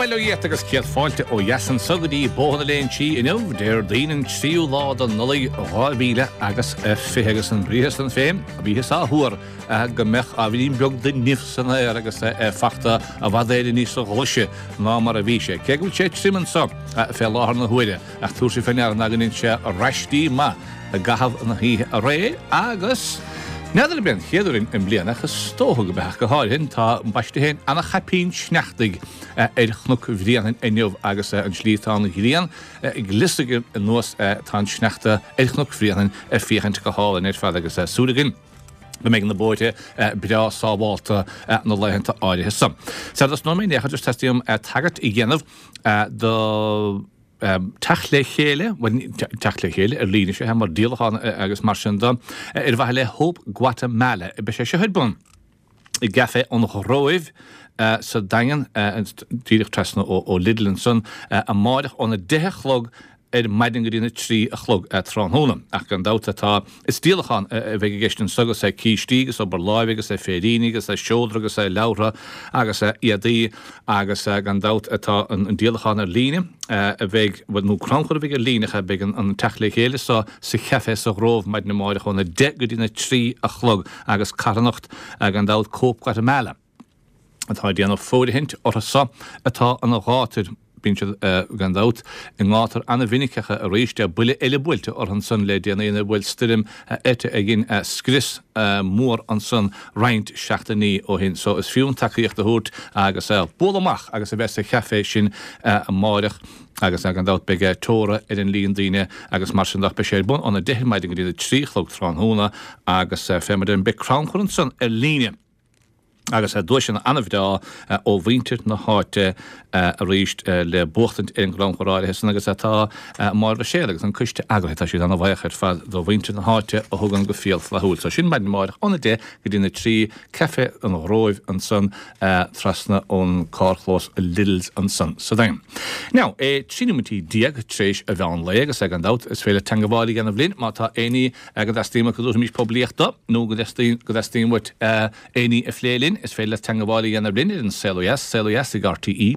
bail ó Dhia ort agus céad fáilte ó dheas anso go dtí Bóthar na Léinsí inniu, Déardaoin an tríú lá de Nollaig 2000 agus 20 agus an briathar san féin, bhíothas á thuar go mbeadh ábhairín beag de nimh san aer agus é fachta i bhfad Éireann níosa ghlaise ná mar a bhí sé. Cé go bhfuil sé tirim anso fé láthair na huaire ach tabharfaidh sibh fé ndeara ná go ndein sé raistí maith i gcaitheamh na hoíche aréir agus n'fheadar ab é an chéad uair i mbliana ach is dócha go b'ea ach go háirithe tá ambaiste féin ana-chaipín sneachtaidh ar Chnoc Bhréanainn inniu agus an tslí atá an ghrian ag liosaigh anuas tá an sneachta ar Chnoc Bhréanainn ag féachaint go hálainn ar fad agus súil againn go mbeidh na bóithre breá sábhálta na laethanta áirithe so. Sara dtosnóidh mé in aon chor just teastaíonn uaim tagairt a dhéanamh do teacht le chéile, bhuel, teacht le chéile ar líne, sea, mar díolachán agus mar sin de, ar mhaithe le Hope Guatemala. Beidh sé seo ar bun i gCaifé an Ghróibh sa Daingean, díreach trasna ó Lidl ansan, amáireach óna 10 a chlog ar maidin go dtí na 3 a chlog tráthnóna. Ach gan dabht tá, is díolachán a bheidh i gceist anso agus cístí agus obair láimhe agus féiríní agus seodra agus leabhartha agus éadaí agus gan dabht tá an díolachán ar líne a bheidh, bhuel nó crannchur a bheidh ar líne ach beidh an teacht le chéile so sa chaife sa Ghrove maidin amáireach óna 10 go dtí na 3 a chlog agus carthanacht gan dabht Cope Guatemala atá ag déanamh fóirithint orthu so atá ina ghátar. Bíonn siad, gan dabht, i ngátar ana-mhinic ach arís, buille eile buailte orthu ansan le déanaí nuair a bhuail stoirm Eta a dhein scrios mór ansan roinnt seachtainí ó shin. So is fiú an tacaíocht a thabhairt agus bualadh amach agus a bheith sa chaifé sin amáireach agus gan dabht beidh teora ar an líon daoine agus mar sin de ach beidh sé ar bun óna 10 ar maidin go dtí na 3 a chlog tráthnóna agus fé mar a deirim beidh crannchur ansan ar líne. agus duaiseanna an-bhreá ó mhuintir na háite arís le buachtaint ar an gcrannchur áirithe san agus tá Máire Ruiséal agus an coiste eagraithe, tá siad an-bhaoch ar fad do mhuintir na háite a thugann go fial flaithiúil. So sin maidin amáireach óna 10 go dtí na 3, Caife an Ghróibh ansan trasna ón carrchlós Lidl's ansan sa Daingean. Now, é 13 nóiméidí tar éis a mheán lae agus gan dabht is féidir teangabháil a dhéanamh linn má tá éinní go dteastaíonn uait go dtabharfaimis poiblíocht do nó go dteastaíonn uait aon ní a phlé linn, is féidir leat teangabháil a dhéanamh linn ar an Saol Ó Dheas, saolodheas ag rte.ie,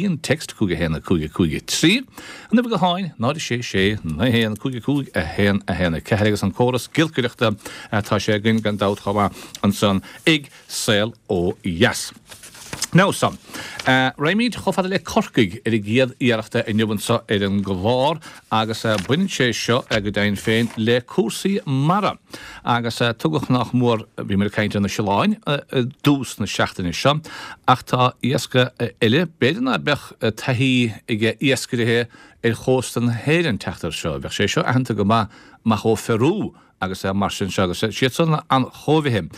an text 5 1 5 5 3, an uimhir gutháin 0 6 6 9 1 5 5 1 1 4 agus an córas giolcaireachta atá sé againn gan dabht chomh maith ansan ag Saol Ó Dheas. Now so, raghaimid chomh fada le Corcaigh ar an gcéad iarracht inniu anseo ar an gclár agus baineann sé seo go deimhin féin le cúrsaí mara agus tugadh nách mór, bhíomar ag caint ar na siolláin i dtús na seachtaine seo ach tá iasc eile, b'fhéidir ná beadh taithí ag iascairithe ar chósta na hÉireann teacht air seo, bheadh sé seo aitheanta go maith amach ó Pheru agus mar sin seo, agus siad san na hancóibhithe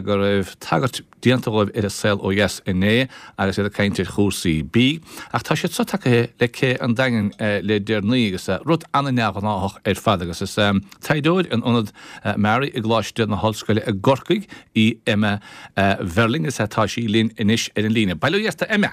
go raibh tagairt déanta dhóibh ar An Saol Ó Dheas inné agus iad ag caint ar chúrsaí bídh, ach tá siad so tagaithe le cé an Daingin le deireanaí agus rud an-neamhghnáthach ar fad agus is taighdeoir in Ionad MaREI i gColáiste na hOllscoile i gCorcaigh í Emma Verling agus tá sí linn anois ar an líne. Bail ó Dhia ort a Emma!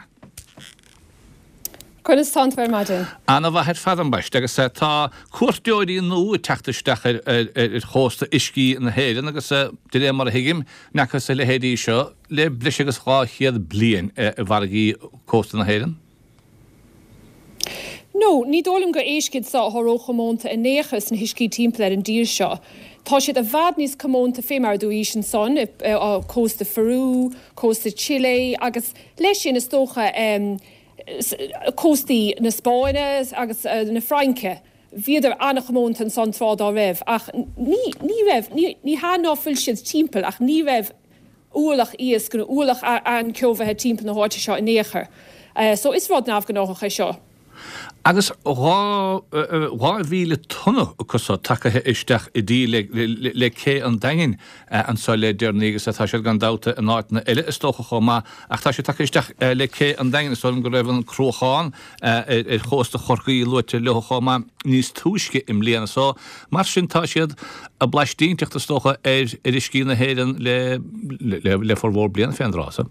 Conas tánn tú ar maidin? Ana-mhaith ar fad ambaiste agus tá cuairteoirí nua ag teacht isteach ar chósta uiscí na hÉireann agus de réir mar a thuigim, n'fhacthas a leithéidí seo le breis agus 200 bliain i bhfarraigí cósta na hÉireann. No, ní dóigh liom gur éisc iad seo atá róchomónta in aon chor sna huiscí timpeall ar an dtír seo. Tá siad i bhfad níos comónta fé mar a dúraís ansan, cósta Pherú, cósta Chile agus leis sin is dócha, cóstaí na Spáinne agus na Fraince. Bhíodar an-chomónta ansan tráth dá raibh ach ní, ní raibh, ní, ní hea ná fuil siad timpeall ach ní raibh ualach iasc nó ualach anceobhaithe timpeall na háite seo in aon chor. So is rud neamhghnáthach é seo. Agus 2,000 tonna acu so tagaithe isteach i dtír le cé an Daingin anso le deireanaí agus tá siad gan dabht in áiteanna eile is dócha chomh maith ach tá siad tagtha isteach le cé an Daingin. Is dóigh liom go raibh an Cruachán ar chósta Chorcaí luaite leo chomh maith níos túisce i mbliana so mar sin tá siad ag blaistínteacht is dócha ar uiscí na hÉireann le formhór bliana fén dtráth so.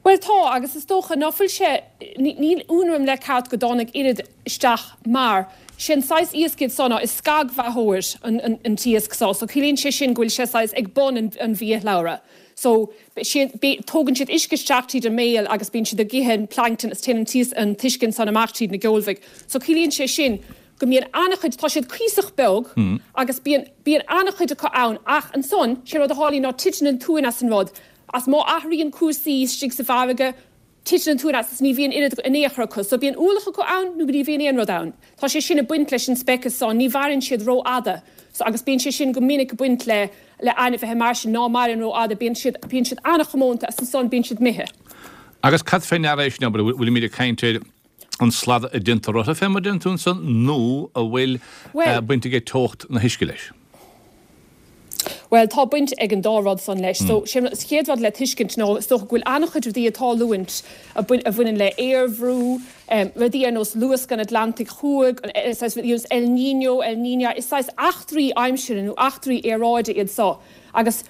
Bhuel tá, agus is dócha ná fuil sé, níl ionadh orm le ceart go dtáinig oiread isteach mar Sé an saghas iasc iad so ná is scagbheathóir an t-iasc so. So ciallaíonn sé sin go bhfuil sé saghas ag bun an bhiashlabhra. So tógann siad uisce isteach tríd an mbéal agus bíonn siad ag ithe an plankton is téann an t-uisce ansan amach tríd na geolbhaigh. So ciallaíonn sé sin go mbíonn an-chuid, tá siad cuíosach beag agus bíonn, bíonn an-chuid acu ann ach ansan, sé rud a tharlaíonn ná titeann an t-uan as an rud as má athraíonn cúrsaí istigh sa bhfarraige, titeann an t-uan as is ní bhíonn oiread in aon chor acu. So bíonn ualach acu ann nó ní bhíonn aon rud ann. Tá sé sin ag baint leis an speiceas so, ní mhaireann siad rófhada. So agus bíonn sé sin go minic ag baint le le ainmhithe mar sin ná maireann rófhada, bíonn siad, bíonn siad an-chomónta is ansan bíonn siad imithe. Agus cad fé ndeara é sin, abair, bhfuilimid ag caint ar an slad a déantar orthu fé mar a deireann tú ansan nó an bhfuil baint aige teocht na huisce leis? Bhuel, tá baint ag an dá rud san leis. So, sé an chéad rud le tuiscint ná is dócha go bhfuil an-chuid rudaí ag tarlúint a bhaineann le aerbhrú, rudaí ar nós luasc an Atlantaigh Thuaidh, saghas rudaí ar nós El Niño, El Niña, is saghas eachtraí aimsire nó eachtraí aeráide iad so agus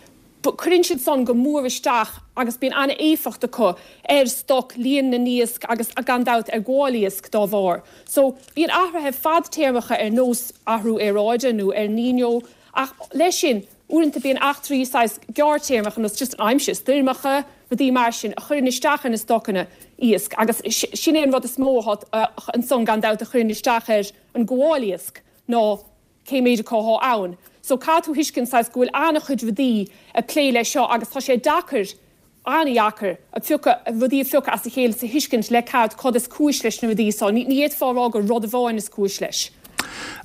cuireann siad san go mór isteach agus bíonn an-éifeacht acu ar stoc, líon na n-iasc agus gan dabht ar ghabháil iasc dá bharr. So, bíonn athruithe fadtéarmacha ar nós athrú aeráide nó El Niño ach leis sin, uaireanta bíonn eachtraí saghas gearrtéarmacha ar nós just an aimsir, stoirmeacha, rudaí mar sin a chuireann isteach ar na stocanna iasc agus sin é an rud is mó atá ansan gan dabht a chuireann isteach ar an gabháil iasc ná cé méid acu athá ann. So caithfidh tú thuiscint saghas go bhfuil an-chuid rudaí ag plé leis seo agus tá sé deacair, an-dheacair, a phiocadh, rudaí a phiocadh as a chéile is a thuiscint le ceart cad is cúis leis na rudaí so. Ní fhéadfá a rá gur rud amháin is cúis leis.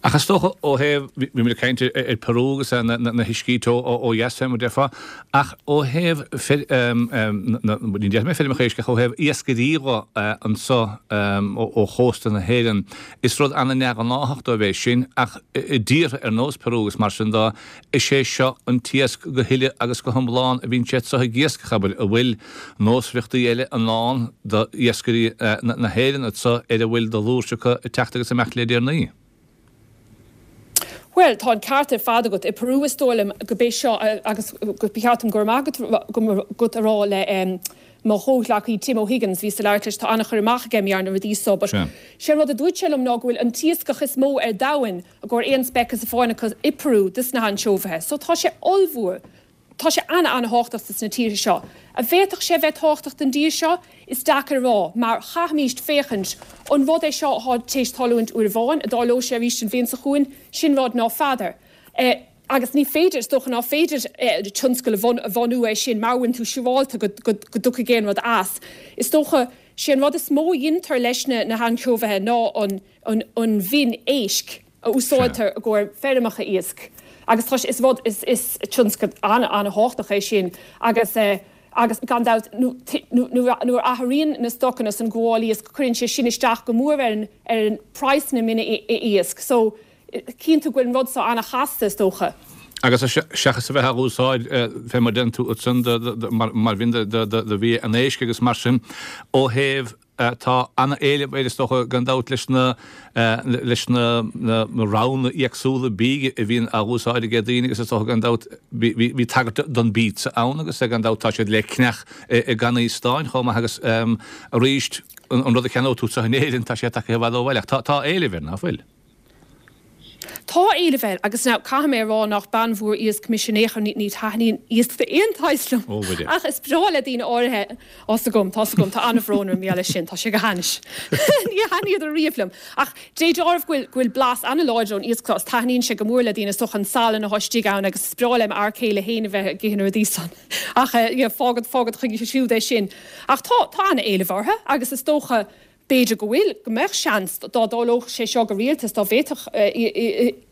Ach is dócha ó thaobh, bhí muid ag caint ar Peru agus na huiscí teo ó dheas fé mar a déarfá, ach ó thaobh ní déarfaidh mé feirmeacha éisc ach ó thaobh iascairí dhe anso ó chósta na hÉireann, Is rud ana-neamhghnáthach dóibh é sin, ach i dtíortha ar nós Peru agus mar sin de, is é seo an t-iasc go huile agus go hiomlán a bhíonn siad so ag iascach, abair, an bhfuil nósmhaireachtaí eile i ndán d'iascairí na hÉireann anso ar a bhfuil de fhlúirse acu ag teacht agus ag imeacht le deireanaí? Bhuel, tá an ceart ar fad agat. I Peru is dóigh liom go b'é seo agus ba cheart dom go raibh maith agat a rá le mo chomhghleacaí Tim O'Higgins, bhíos ag labhairt leis, tá an-chur amach aige ar na rudaí so, but sé an rud a dúirt sé liom ná go bhfuil an t-iascach is mó ar domhain i gcomhair aon speiceas amháin acu i Peru dos na hainseobhaithe. So tá sé ollmhór, tá sé ana-ana-thábhachtach dos na tíortha seo. An bhféadfadh sé a bheith tábhachtach don dtír seo? Is deacair a rá, mar chaithfimíst féachaint, an rud é seo atá téis tarlúint uair amháin, an dtarlóidh sé arís an bhliain seo chugainn? Sin rud ná feadar. Agus ní féidir, is dócha ná féidir tionscal a bhunú air sin mara bhfuil tú siúrálta go dtiocfaidh aon rud as. Is dócha, sé an rud is mó a dheintear leis na hainseobhaithe ná an mhin éisc a úsáidtear i gcomhair feirmeacha iasc. Agus tá sé, is rud, is tionscal an-an-thábhachtach é sin agus agus gan dabht nuair a athraíonn na stocanna san gabháil iasc cuireann sé sin isteach go mór ar an praghas na mine iasc. So, Cíonn tú go bhfuil an rud seo ana-chasta, is dócha. Agus seachas a bheith á úsáid fé mar deireann tú ansan mar mhin do bhia an éisc agus mar sin, ó thaobh, tá ana-éileamh air is dócha gan dabht leis na leis na roghanna éagsúla bídh a bhíonn á úsáid ag daoine agus is dócha gan dabht bhí tagairt don bpizza ann agus gan dabht tá siad le ceannach i gcannaí stáin chomh maith agus arís an rud a cheannóidh tú anseo in Éirinn tá sé tagtha i bhfad ó bhaile ach tá éileamh air, ná fuil? Tá éileamh air agus now caithfidh mé a rá nach bean mhór iasc mise in aon chor, ní thaitníonn iasc d'aon tsaghas liom Ó, Mhuire. ach is breá le daoine áirithe, tá's agam, tá's agam, tá an-bhrón orm mar gheall air sin, tá sé go hainnis. Ní thaitníodar riamh liom. Ach dé dealraimh go bhfuil, go bhfuil blas an-láidir ón iasc seo is taitníonn sé go mór le daoine, is dócha an salann atá istigh ann agus is breá le m'fhear céile féin a bheith ag ithe na rudaí san. Ach eh, yeah, fágad, fágad chuige siúd é sin. Ach tá, tá an-éileamh orthu agus is dócha, B'fhéidir go bhfuil, go mbeadh seans, dá dtarlódh sé seo go rialta is dá bhféadfadh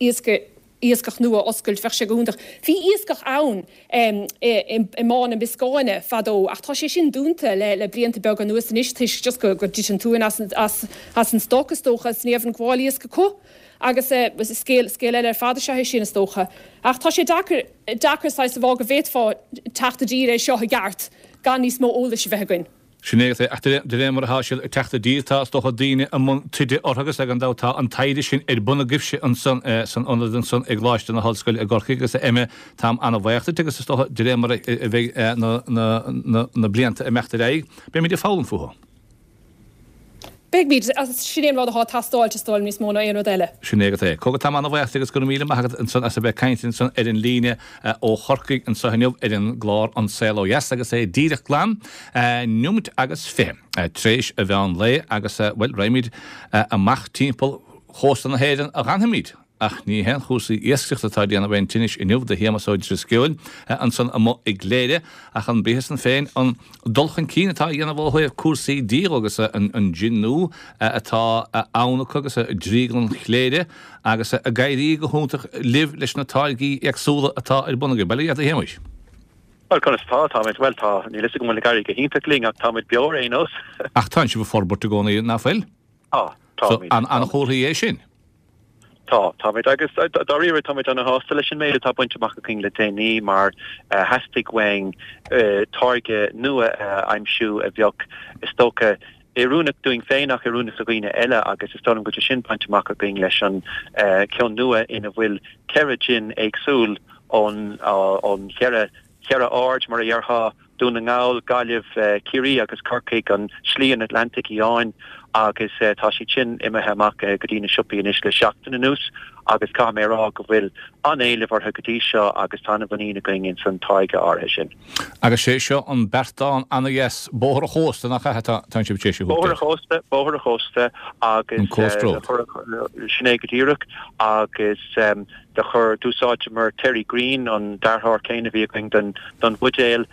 iascach nua a oscailt, bheadh sé go hiontach. Bhí iascach ann i mBá na Bioscáine fadó ach tá sé sin dúnta le blianta beaga anuas anois toisc just go dtit an t-uan as an stoc is dócha is ní raibh an gabháil iasc acu agus scéal scéal eile ar fad is ea é sin is dócha. Ach tá sé deacair deacair saghas a rá go bhféadfá teacht i dtír é seo i gceart gan níos mó eolais a bheith againn. Sin é, ach de réir mar atá siad ag teacht i dtír, tá, is dócha, daoine i mbun taighde orthu agus gan dabht tá an taighde sin ar bun agaibhse ansan san ionad ansan i gColáiste na hOllscoile i gCorcaigh agus a Emma, táim an-bhaoch duit agus is dócha de réir mar a bheidh na blianta ag imeacht ar aghaidh, beimid ag foghlaim fúthu. Beimid, agus sin é an rud atá ag teastáilt, is dóigh liom, níos mó ná aon rud eile. Sin é agat é. Cogar, tá mé ana-bhaoch agus go raibh míle maith agat ansan as a bheith ag caint ansan ar an líne ó Chorcaigh anso inniu ar an gclár An Saol Ó Dheas agus é díreach glan neomait agus 20 tar éis an mheán lae agus, bhuel, raghaimid amach timpeall chósta na hÉireann a dh'fhanfaimid. Ach ní haon chúrsaí iascaireachta atá ag déanamh aon tinnis inniu do Shéamus Ó Drisceoil ansan amuigh i gCléire, ach an briathar san féin, an dul chun cinn atá á dhéanamh ó thaobh cúrsaí dí dhó agus an jin nua atá ann acu agus Drioglann Chléire agus ag éirí go hiontach libh leis na táirgí éagsúla atá ar bun agaibh. Bail ó Dhia ort a Shéamuis. Bhuel, conas atá? Táimid, bhuel, tá, níl fhios agam an bhfuil ag éirí go hiontach linn ach táimid beo ar aon nós. Ach tánn sibh ag forbairt i gcónaí, ná fuil? Tá, táimid. So, an-chomhartha é sin. Tá, táimid, agus dáiríre táimid ana-shásta leis an méid atá bainte amach againn le déanaí mar theastaigh uainn táirge nua a aimsiú a bheadh, is dócha, oiriúnach dúinn féin ach oiriúnach do dhaoine eile agus is dóigh liom go bhfuil sé sin bainte amach againn leis an ceann nua ina bhfuil 4 jin éagsúil ón cheithre cheithre aird, mar a dhéarfá, Dún na nGall, Gaillimh, Ciarraí agus Corcaigh, an Slí an Atlantaigh Fhiáin agus tá siad sin imithe amach go dtí na siopaí anois le seachtain anuas agus caithfidh mé a rá go bhfuil an-éileamh orthu go dtí seo agus tá an-mhuinín againn ins an táirge áirithe sin. Agus sé seo an beartán ana-dheas, Bóthar an Chósta, nach ea atá sibh tar éis a thabhairt air? Bóthar an Chósta, Bóthar an Chósta agus. An Coast Road. Sin é go díreach agus. Do chuir, d'úsáideamar Terry Greene, an dearthóir céanna a bhí againn don don bhuidéal,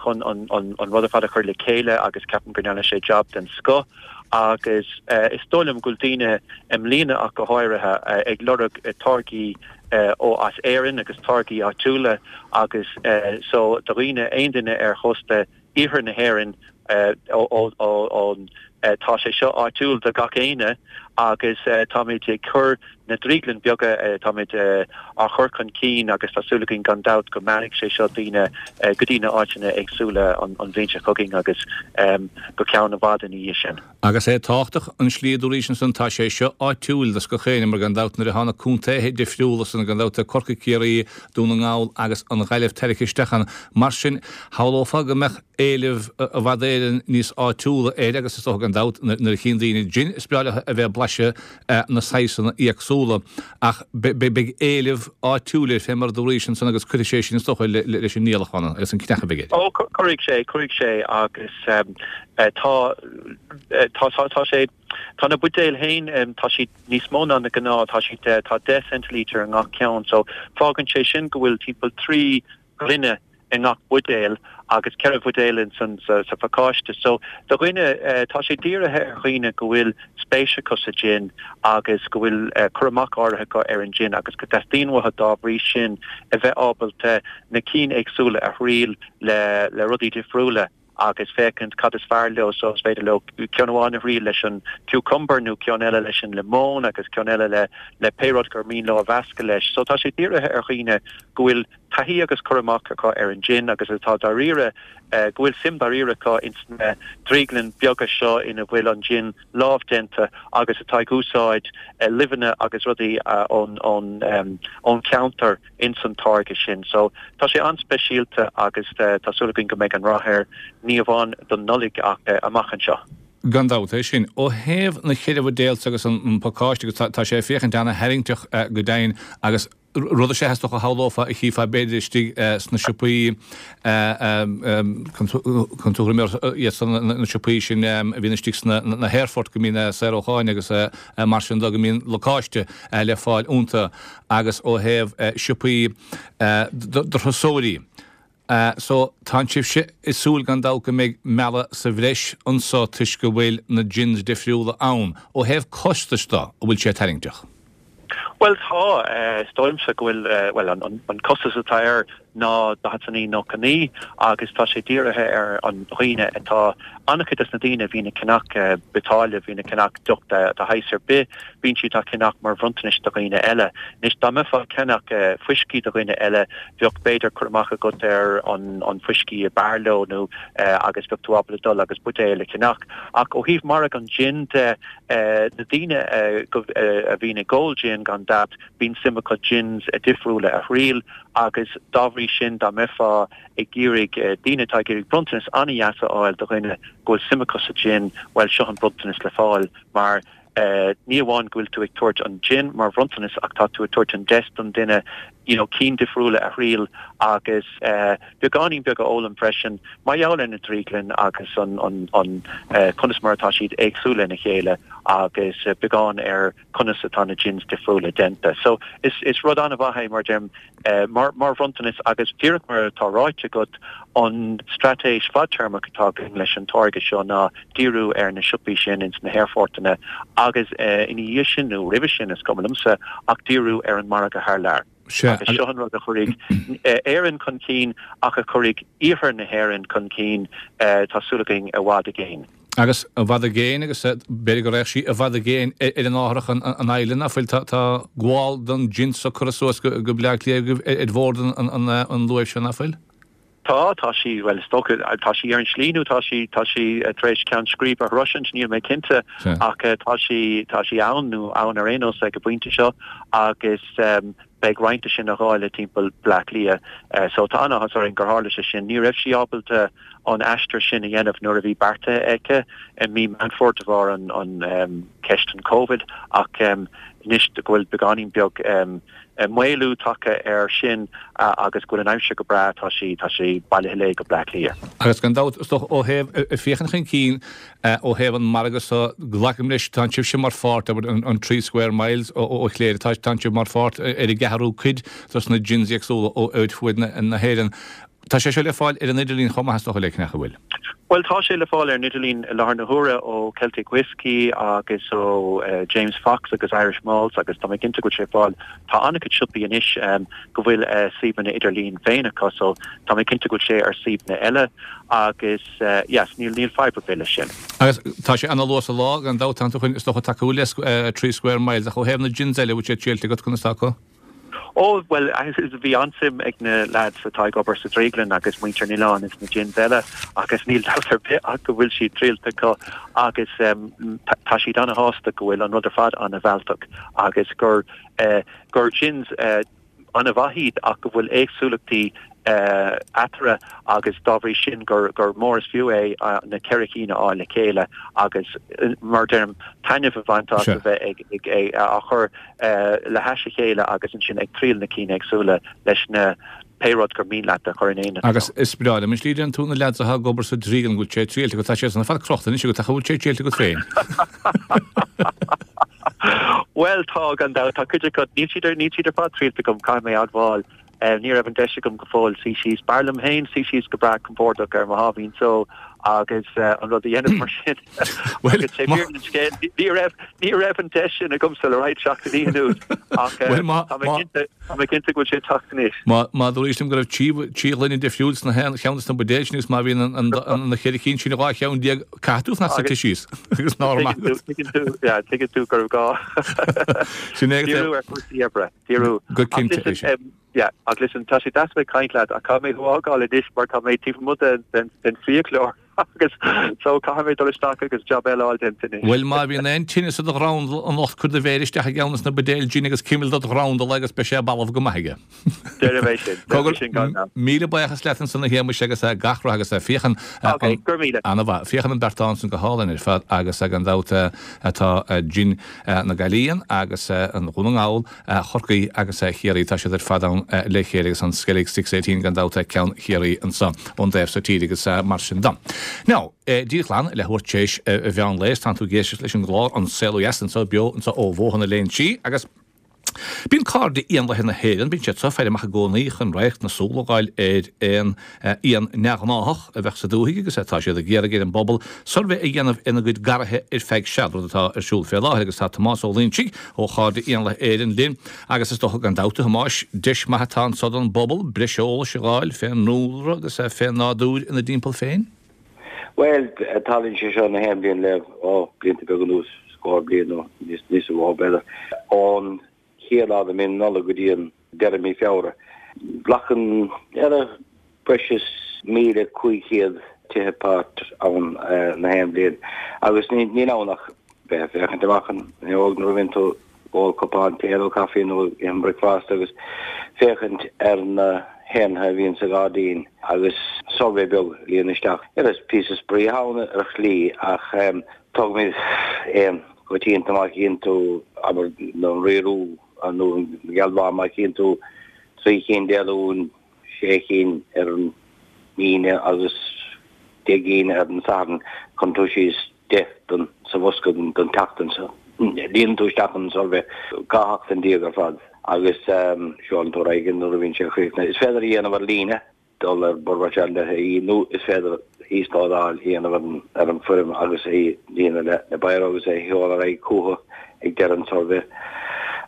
chun an an rud ar fad a chur le chéile agus ceapaim go ndearna sé jab den scoth. Agus is dóigh liom go bhfuil daoine, i mbliana ach go háirithe, ag lorg táirgí ó as Éirinn agus táirgí áitiúla agus so do dhaoine, aon duine ar chósta iarthar na hÉireann ón tá sé seo áitiúil do gach éinne agus táimid ag cur na drioglann beaga táimid á chur chun cinn agus tá súil againn gan dabht go meallfaidh sé seo daoine go dtí na áiteanna éagsúla an bhliain seo chugainn agus go ceann i bhfad ina dhiaidh sin. Agus é tábhachtach an slí a dúraís ansan tá sé seo áitiúil do gach éinne mar gan dabht nuair atá na contaetha difriúla san gan dabht Corcaigh Ciarraí, Dún na nGall agus an Ghaillimh tarraicthe isteach ann. Mar sin shamhlófá go mbeadh éileamh i bhfad Éireann níos áitiúla air agus is dócha gan dabht nuair a chíonn daoine jin is breá leo a bheith ag blaiseadh na saghsanna éagsúla ach beidh éileamh áitiúil air fé mar a dúraís ansan agus cuirfidh sé sin is dócha leis an ndíolachán agus an cneach a bheidh air. Ó cuirfidh sé, cuirfidh sé agus Tá, tá, tá sé, tá na buidéil féin, tá siad níos mó ná na gnáth, tá siad, tá 10 centilitre i ngach ceann, so fágann sé sin go bhfuil timpeall 3 ghloine i ngach buidéal agus 4 bhuidéal in san, sa, sa phacáiste. So do dhuine, tá sé dírithe ar dhaoine go bhfuil spéis acu sa jin agus go bhfuil cur amach áirithe acu ar an jin agus go dteastaíonn uathu dá bhrí sin a bheith ábalta na cinn éagsúla a thriail le, le rudaí difriúla. agus féachaint cad is fearr leo so is féidir leo ceann amháin a thriail leis an cucumber nó ceann eile leis an lemon agus ceann eile le le pé rud gur mian leo a mheascadh leis. So tá sé dírithe ar dhaoine go bhfuil taithí agus cur amach acu ar an gin agus atá dáiríre go bhfuil suim dáiríre acu ins na drioglann beaga seo ina bhfuil an gin lámhdéanta agus atá ag úsáid luibheanna agus rudaí ón ón ón cheantar. ins an táirge sin. So, tá sé an-speisialta agus tá súil againn go mbeidh an rath air, ní amháin don Nollaig ach amach anseo. Gan dabht, é sin. Ó thaobh na cheithre bhuidéal agus an pacáiste agus tá sé ag féachaint ana-tharraingteach go deimhin agus rud is ea is dócha a shamhlófá a chífeá b'fhéidir istigh sna siopaí chun tuairim iad san na siopaí sin a bhíonn istigh sna na haerfoirt go mbíonn saorúcháin agus mar sin de go mbíonn lacáiste le fáil iontu. agus ó thaobh siopaí do thurasóirí. So, tánn sibhse ag súil gan dabht go mbeidh mealladh sa bhreis anso toisc go bhfuil na gins difriúla ann. Ó thaobh costais de, an bhfuil sé tarraingteach? Bhuel tá, is dóigh liomsa go bhfuil, bhuel an costas atá air ná 49.99 agus tá sé dírithe ar an dhaoine atá, an-chuid des na daoine a bhíonn ag ceannach biotáille, bhíonn ag ceannach deoch de shaghas ar bith, bíonn siad á ceannach mar bhronntanais do dhaoine eile. Anois dá mbeifeá ag ceannach fuiscí do dhuine eile, bheadh b'fhéidir cur amach agat ar an fuiscí a b'fhearr leo nó agus bheadh tú ábalta dul agus buidéal a cheannach. Ach ó thaobh margadh an gin de, na daoine a bhíonn ag ól gin gan dabht, bíonn suim acu gins difriúla a thriail agus dá bhrí. bhrí sin dá mbeifeá ag iarraidh, daoine atá ag iarraidh bronntanas an-dheas a fháil do dhuine go bhfuil suim acu sa gin, bhuel seo an bronntanas le fáil mar ní amháin go bhfuil tú ag tabhairt an gin mar bhronntanas ach tá tú ag tabhairt an deis don duine you know cinn difriúla a thriail agus beagáinín beag a fhoghlaim freisin mar gheall ar na drioglainn agus an an an conas mar atá siad éagsúil lena chéile agus beagán ar conas atá na gins difriúla déanta. So is is rud an-mhaith é mar deirim mar mar bhronntanas agus díreach mar atá ráite agat an straitéis fadtéarmach atá againn leis an táirge seo ná díriú ar na siopaí sin ins na haerphortanna agus ina dhiaidh sin nó roimhe sin is cuma liomsa ach díriú ar an margadh thar lear. Agus seo an rud a chuirfidh Éirinn chun cinn ach a chuirfidh iarthar na hÉireann chun cinn, tá súil againn, i bhfad i gcéin. Agus i bhfad i gcéin agus b'fhéidir go raghadh sí i bhfad i gcéin ar an árthach an island ná fuil. Tá gabháil don gin so curtha suas go Bleá Cliath agaibh ar bhord an luaimh seo ná fuil? Tá, tá sí, bhuel is dócha, tá sí ar an slí nó tá sí, tá sí tar éis ceann scríbe a shroisint, níl mé cinnte ach tá sí, tá sí ann nó ann ar aon nós ag an bpointe seo agus beidh roinnt de sin á dháileadh timpeall Bleá Cliath. So tá an-áthas orainn gur tharla sé sin. Ní raibh sí ábalta an aistear sin a dhéanamh nuair a bhí beartaithe aici i mí Meán Fómhair de bharr an ceist an Covid ach anois go bhfuil beagáinín beag maolú tagtha air sin agus go bhfuil an aimsir go breá, tá sí, tá sí bailithe léi go Bleá Cliath. Agus gan dabht, is dócha, ó thaobh, ag féachaint chun cinn, ó thaobh an margadh so, glacaim leis, tánn sibhse mar pháirt, abair, an Three Square Miles ó Chléire, tá, tánn sibh mar pháirt ar an gceathrú cuid dos na gins éagsúla ó fuaid na hÉireann. Tá sé seo le fáil ar an idirlíon chomh maith is dócha like, nach bhfuil? Bhuel, tá sé le fáil ar an idirlíon i láthair na huaire ó Celtic Whiskey agus ó James Fox agus Irish Malts agus tá mé cinnte go bhfuil sé le fáil. Tá an-chuid siopaí anois go bhfuil a suíomhanna idirlín féin acu so tá mé cinnte go bhfuil sé ar suíomhanna eile agus yes, níl níl fadhb ar bith leis sin. Agus tá sé ana-luath sa lá, gan dabht, tánn tú chun is dócha tacú le Three Square Miles ach ó thaobh na gins eile, bhfuil sé triailte agat conas tá acu? Ó, bhuel, bhí an-suim ag na leaids atá ag obair sa drioglann agus muintir an oileáin ins na gins eile agus níl dabht ar bith ach go bhfuil siad triailte acu agus tá siad ana-shásta go bhfuil an rud ar fad ana-mhealltach agus gur gur gins ana-mhaith iad ach go bhfuil éagsúlachtaí eatarthu agus dá bhrí sin gur gur mór is fiú é na ceithre cinn a fháil le chéile agus mar a deirim taitneamh a bhaint as a bheith ag ag á chur le hais a chéile agus ansin ag triail na cinn éagsúla leis na pé rud gur mian leat a chur in éineacht leo. Agus is breá liom an slí a deireann tú na leaids atá ag obair sa drioglann go bhfuil sé triailte agat, tá sé san ar fad crochta anois agat ach an bhfuil sé triailte agat féin? Bhuel tá, gan dabht, tá cuid acu, níl siad níl siad ar fad triailte agam, caithfidh mé a admháil. Ní raibh an deis agam go fóill suí síos. B'fhearr liom féin suí síos go breá compordach ar mo sháimhín só agus an rud a dhéanamh mar sin. Agus sé fírinne an scéil, ní raibh, ní raibh an deis sin agamsa le roinnt seachtainí anuas ach tá mé cinnte, tá mé cinnte go bhfuil sé ag teacht anois. Má, má dúraís liom go raibh trí ghloine difriúil sna haon cheann de na buidéil sin agus má bhíonn an, an, na cheithre cinn sin 12 cheann, caithfidh tú fanacht suite síos agus nár maith agat. Tuigeann tú, yeah, tuigeann tú gurbh gá. Sin é agus é. Díriú ar chúrsaí oibre. Díriú. Go cinnte é sin. Yeah, ach listen, tá sé deas a bheith ag caint leat ach caithfidh mé thú a fhágáil anois mar tá mé taobh amuigh den den fiaclóir agus so caithfidh mé dul isteach agus jab eile a fháil déanta anois. Bhuel, má bhíonn aon tinneas i do dhrandal anocht cuir do mhéir isteach i gceann de na buidéil gin agus cimil dod dhrandal é agus beidh sé balbh go maith aige. Déarfaidh mé sin, déarfaidh mé sin gan dabht. Míle buíochas leat ansan a Shéamuis agus gach rath agus féachann Ok, go raibh míle. Ana-mhaith. Féachann an beartán san go hálainn ar fad agus gan dabht tá gin na Gaillimhe agus an Dhún na nGall, Chorcaí agus Chiarraí, tá siad ar fad ann le chéile agus an Skellig 618 gan dabht ceann Chiarraí anso ón dtaobh so tíre agus mar sin de. Now, díreach glan leathuair tar éis mheán lae is tánn tú ag éisteacht leis an gclár An Saol Ó Dheas anso beo anso ó Bhóthar na Léinsí agus Bíonn Cairde Éanlaithe na hÉireann, bíonn siad seo ag faire amach i gcónaí chun radharc na súl a fháil ar aon éan neamhghnáthach a bheadh sa dúthaigh agus tá siad ag iarraidh ar an bpobal suirbhé a dhéanamh ina gcuid garraithe ar feadh seal, rud atá ar siúl fé láthair agus tá Tomás Ó Loingsigh ó Chairde Éanlaithe Éireann linn agus is dócha gan dabht, a Thomáis, deis maith atá anso don bpobal breis eolais a fháil fén ndúlra agus fén nádúr ina dtimpeall féin. Bhuel, tarlaíonn sé seo na haon bhliain le, ó, blianta beaga anuas, scór bliain nó níos, níos mó b'fhéidir, ón chéad lá de mí na Nollag go dtí an deireadh mí Feabhra. Glacann, ar breis is 1,500 tithe páirt ann na haon bhliain agus ní, níl ann ach bheith ag féachaint amach an fhuinneog nuair a bhíonn tú ag ól cupán tae nó caife nó ag ithe bricfeasta agus féachaint ar na. héanlaithe a bhíonn sa ghairdín agus suirbhé beag a líonadh isteach. Is píosa spraoi atá ann ar shlí ach tógaimid éan coitianta má chíonn tú, abair, an Rí Rua nó an Gealbhán má chíonn tú 3 chinn Dé Luain, 6 chinn ar an Aoine agus 10 gcinn ar an Satharn, cuireann tú síos 10 don sa bhosca don tseachtain so. Líonann tú isteach an suirbhé 12 sheachtain ar fad agus seolann tú ar aghaidh nuair a bhíonn sé críochnaithe. Is féidir a dhéanamh ar líne, dul ar birdwatch.ie nó is féidir íoslódáil a dhéanamh ar an foirm agus é a líonadh le biro agus é a sheoladh ar aghaidh chucu ag deireadh an tsuirbhé.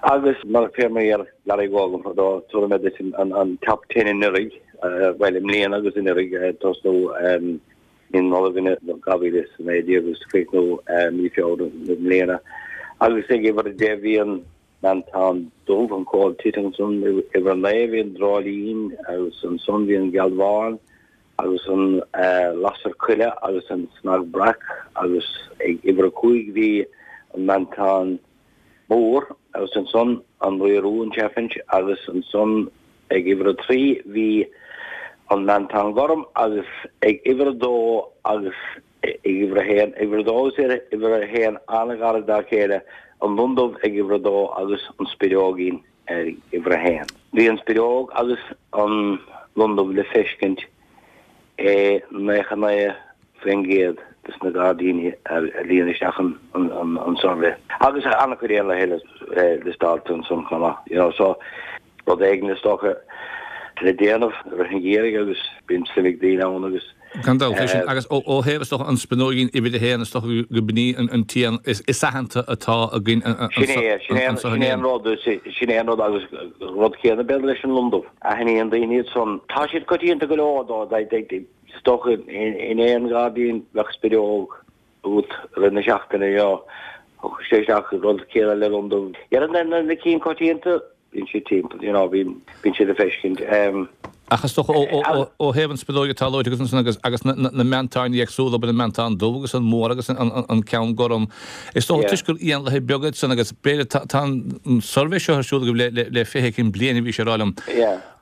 Agus mar fé mar a dheir Larry Gogan fadó, tabharfaidh mé duit an top ten anuraidh, bhuel i mbliana agus anuraidh, tosnú mí na Nollag 2019 agus críochnú mí Feabhra i mbliana. Agus ag uimhir 10 bhí an meantán dubh, an coal tit ansan, uimhir 9 bhí an dreoilín agus ansan bhí an gealbhán agus an lasair coille agus an cnag breac agus ag uimhir 5 bhí an meantán mór agus ansan an Rí Rua, an chaffinch agus ansan ag uimhir a 3 bhí an meantán gorm agus ag uimhir a dó agus ag uimhir a haon, uimhir a dó agus uimhir a haon an-ghairid dá chéile, an lon dubh ag uimhir a dó agus an spideoigín ag uimhir a haon. Bhí an spideog agus an lon dubh le feiscint i 99% des na gairdíní a líon isteach an suirbhé. Agus an-chuid éanlaithe eile liostáilte ansan chomh maith, you know, so rud éigin is dócha le déanamh i rith an gheimhridh agus bíonn suim ag daoine ann agus. Gan dabht, é sin. Agus ó thaobh, is dócha, an spinóigín uimhir a haon, is dócha go b'in í an t-éan is aitheanta atá againn Sin é, sin é, sin é an rud, sin é an rud agus rud céanna b'fhéidir leis an lon dubh. Aithníonn daoine iad san. Tá siad coitianta go leor dó, is dócha in aon ghairdín bheadh spideog agat i rith na seachtaine, you know. Thiocfadh sé isteach, rud céanna le lon dubh. Dhera na cinn coitianta, bíonn siad timpeall, you know, bíonn siad le feiscint. Ach is dócha ó thaobh an spideoig atá luaite agat ansan agus agus na meantáin éagsúla, abair an meantán dubh agus an mór agus an ceann gorm, is dócha toisc gur éanlaithe beaga iad san agus b'fhéidir tá an suirbhé seo ar siúl agaibh le 20 éicint bliain a bhís ag rá liom.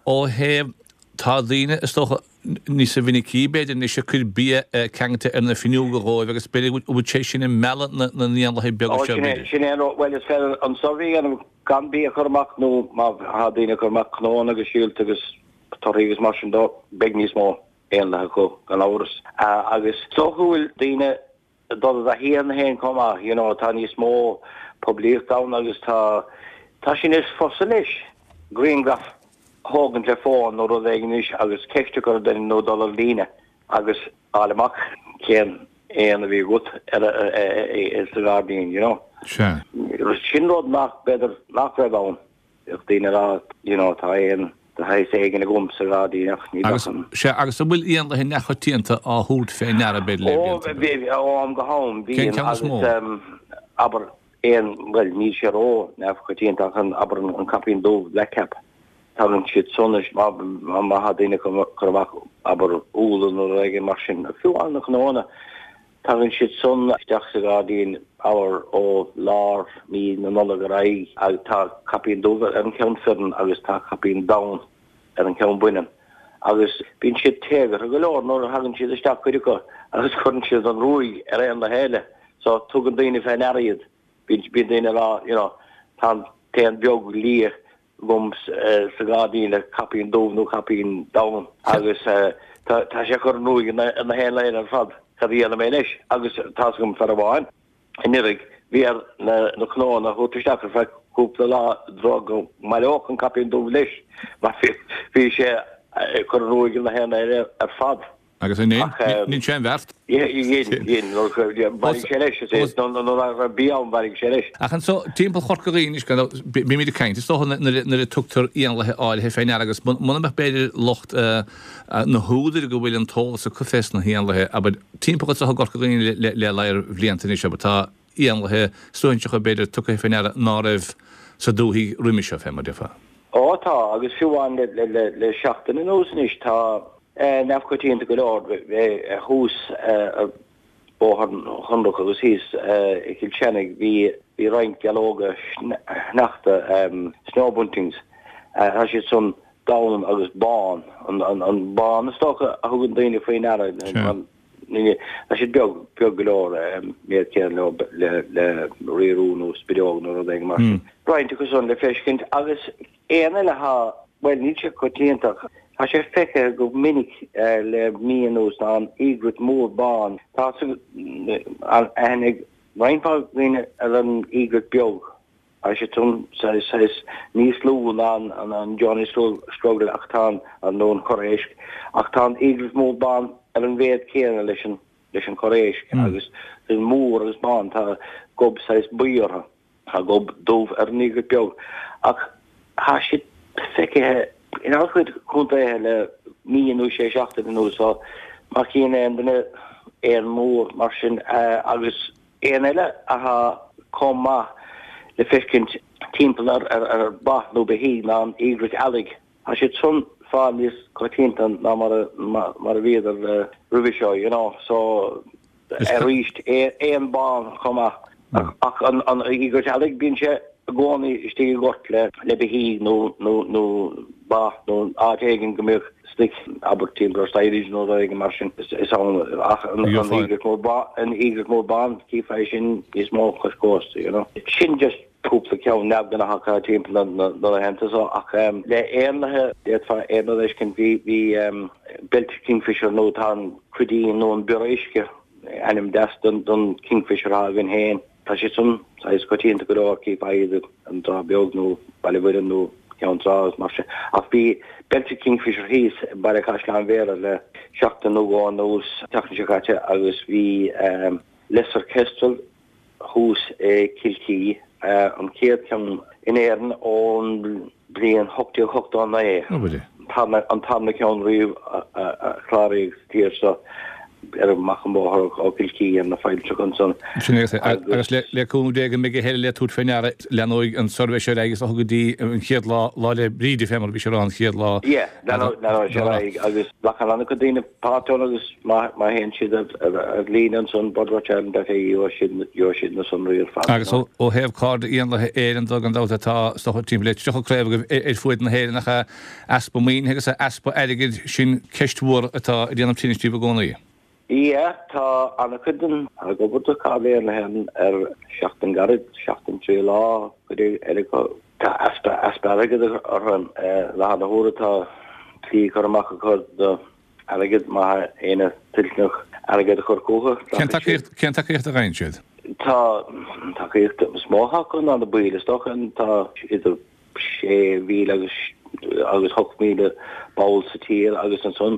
Ó thaobh, tá daoine is dócha níosa mhinicí b'fhéidir anois ag cur bia ceangailte ar na fuinneoga dhóibh agus b'fhéidir go bhfuil sé sin ag mealladh na n-éanlaithe beaga seo b'fhéidir. Sin é an rud, bhuel is féidir an suirbhé a dhéanamh gan bia a chur amach nó má tá daoine ag cur amach cnónna agus síolta agus torthaí agus mar sin dó, beidh níos mó éanlaithe acu gan amhras. Agus is dócha go bhfuil daoine ag dul i dtaithí ar na héin chomh maith, you know, tá níos mó poiblíocht ann agus tá, tá sé níos fusa leis grianghraf a thógaint le fón nó rud éigin anois agus ceist a chur ar duine nó dul ar líne agus fháil amach cén éan a bhí agat ar sa ghairdín, you know. Sea. Sin rud nach, b'fhéidir, nach raibh ann. Bheadh daoine ag rá, you know, tá éan de shaghas éigin agam sa ghairdín ach ní bheadh an. Sea, agus an bhfuil éanlaithe neamhchoitianta á thabhairt fé ndeara, b'fhéidir, le blianta? Ó, bhí, ó am go ham, bíonn. Cén ceann is mó? Agus, abair, éan, bhuel, níl sé ró-neamhchoitianta ach an, abair, an caipín dubh, blackcap. Tagann siad san anois má tá daoine ag cur amach, abair, úlla nó rud éigin mar sin, fiú amháin na cnónna, tagann siad san isteach sa ghairdín, abair, ó lár mí na Nollag ar aghaidh agus tá caipín dubh ar an cheann fireann agus tá caipín donn ar an cheann baineann agus bíonn siad téagartha go leor nuair a thagann siad isteach, cuid acu, agus cuireann siad an ruaig ar éanlaithe eile so tugann daoine fé ndeara iad. Bíonn daoine ag rá, you know, tá an t-éan beag liath agam sa ghairdín le caipín dubh nó caipín donn agus tá sé ag cur an ruaig ar na héanlaithe eile ar fad, cad a dhéanfaidh mé leis? Agus tá's agam fear amháin anuraidh, bhí air na cnónna a thabhairt isteach ar feadh cúpla lá i dtreo go mbaileodh an caipín dubh leis mar bhí sé ag cur an ruaig ar na héanlaithe eile ar fad. Agus an ndein sé an bheart? Dhein, dhein. Bhailigh sé leis, is é, nuair a raibh bia ann, bhailigh sé leis. Ach anso, timpeall Chorca Dhuibhne anois, gan dabht, bímid ag caint, is dócha, nuair a tugtar éanlaithe áirithe fé ndeara agus muna mbeadh b'fhéidir lucht na húdair go bhfuil an t-eolas acu fés na héanlaithe, abair, timpeall anso i gCorca Dhuibhne le ladhar bhlianta anois, abair, tá éanlaithe suaithinseacha b'fhéidir tugtha fé ndeara ná raibh sa dúthaigh roimis seo, fé mar déarfá. Ó tá, agus fiú amháin le seachtain anuas anois, tá Neamhchoitianta go leor thuas ar Bhóthar Chonrach agus thíos i gCill Chainnigh bhí roinnt gealóga sneachta, snow buntings, tá siad san. Donn agus bán. An bán is dócha a thugann daoine faoi ndeara. Tá siad beag, beag go leor, méid céanna leo le le riarú nó spideog nó rud éigin mar sin. Roinnt acu san le feiscint agus éan eile atá, bhuel níl sé coitianta ach tá sé feicthe go minic le mí anuas ná an egret mór bán. Tá aithne ag roinnt mhaith daoine ar an egret beag. Tá sé san saghas níos lú ná an Johnny Struggle ach tá an, nó an Corr Éisc, ach tá an egret mór bán ar an mhéad céanna leis an, leis an Chorr Éisc agus mór agus bán, tá gob saghas buí orthu. Tá gob dubh ar an egret beag ach tá siad feicthe in an-chuid contaetha le mí nó sé seachtain anuas so má chíonn aon duine éan mór mar sin agus Éan eile athá chomh maith le feiscint timpeall ar ba nó beithígh ná an egret eallaigh. Tá siad san fáil níos coitianta ná mar a bhíodar roimhe seo, you know, so arís éan bán chomh maith. Ach an egret eallaigh bíonn sé i gcónaí istigh i ngort le beithígh nó nó ba nó áit éigin go mbeadh stoic, abair timpeall ar silage nó rud éigin mar sin, is ann ach an egret mór bán, an egret mór bán, chífeá é sin níos mó cois cósta, you know. Sin just cúpla ceann neamhghnách atá timpeall na laethanta so ach le éanlaithe d'fhéadfá aon rud a fheiscint, bhí, bhí Belted Kingfisher nó tá an cruidín nó an bior uisce, ainm deas don Kingfisher atá againn féin. Tá siad san saghas coitianta go leor, chífeá iad an Trá Bheag nó Baile Mhuirne nó Ceann Trá agus mar sin. Ach bhí Belted Kingfisher thíos i mBaile Chaisleáin Bhéarra le seachtain nó dhó anuas, an tseachtain seo caite, agus bhí Lesser Kestrel thuas i Kilkee, an chéad cheann in Éirinn ón bliain 1889, an tarna ceann riamh a cláraíodh sa tír seo ar amach an bóthar ó Kilkee ar na failltreacha ansan. Sin é agus le cúnamh Dé go mbeidh a thuilleadh le tabhairt fé ndeara, leanóidh an suirbhé seo ar aghaidh is dócha go dtí an chéad lá, Lá 'le Bríde fé mar a bhí sé a rá an chéad lá. Yeah, leanóidh sé ar aghaidh agus glacann an-chuid daoine páirt ann agus má théann siad ar líne ansan, birdwatchireland.ie, gheobhaidh siad na sonraí ar fad. Agus ó thaobh Cairde Éanlaithe Éireann de, gan dabht, tá is dócha timpeall le 30 craobh agaibh ar fuaid na hÉireann ach easpa maoinithe agus easpa airgid, sin ceist mhór atá ag déanamh tinnis daoibh i gcónaí. Yeah, tá an-chuid den ag obair do Cairde Éanlaithe Éireann ar sheachtain gairid, seachtain 3 lá, cuid eile acu. Tá easpa easpa airgid orthu. I láthair na huaire tá slí curtha amach acu do airgead má tá éinne toilteanach airgead a chur chucu. Cén tacaíocht cén tacaíocht a fhaigheann siad? Tá an tacaíocht is mó acu ná na baill is dócha. Tá idir 6,000 agus agus 8,000 ball sa tír agus ansan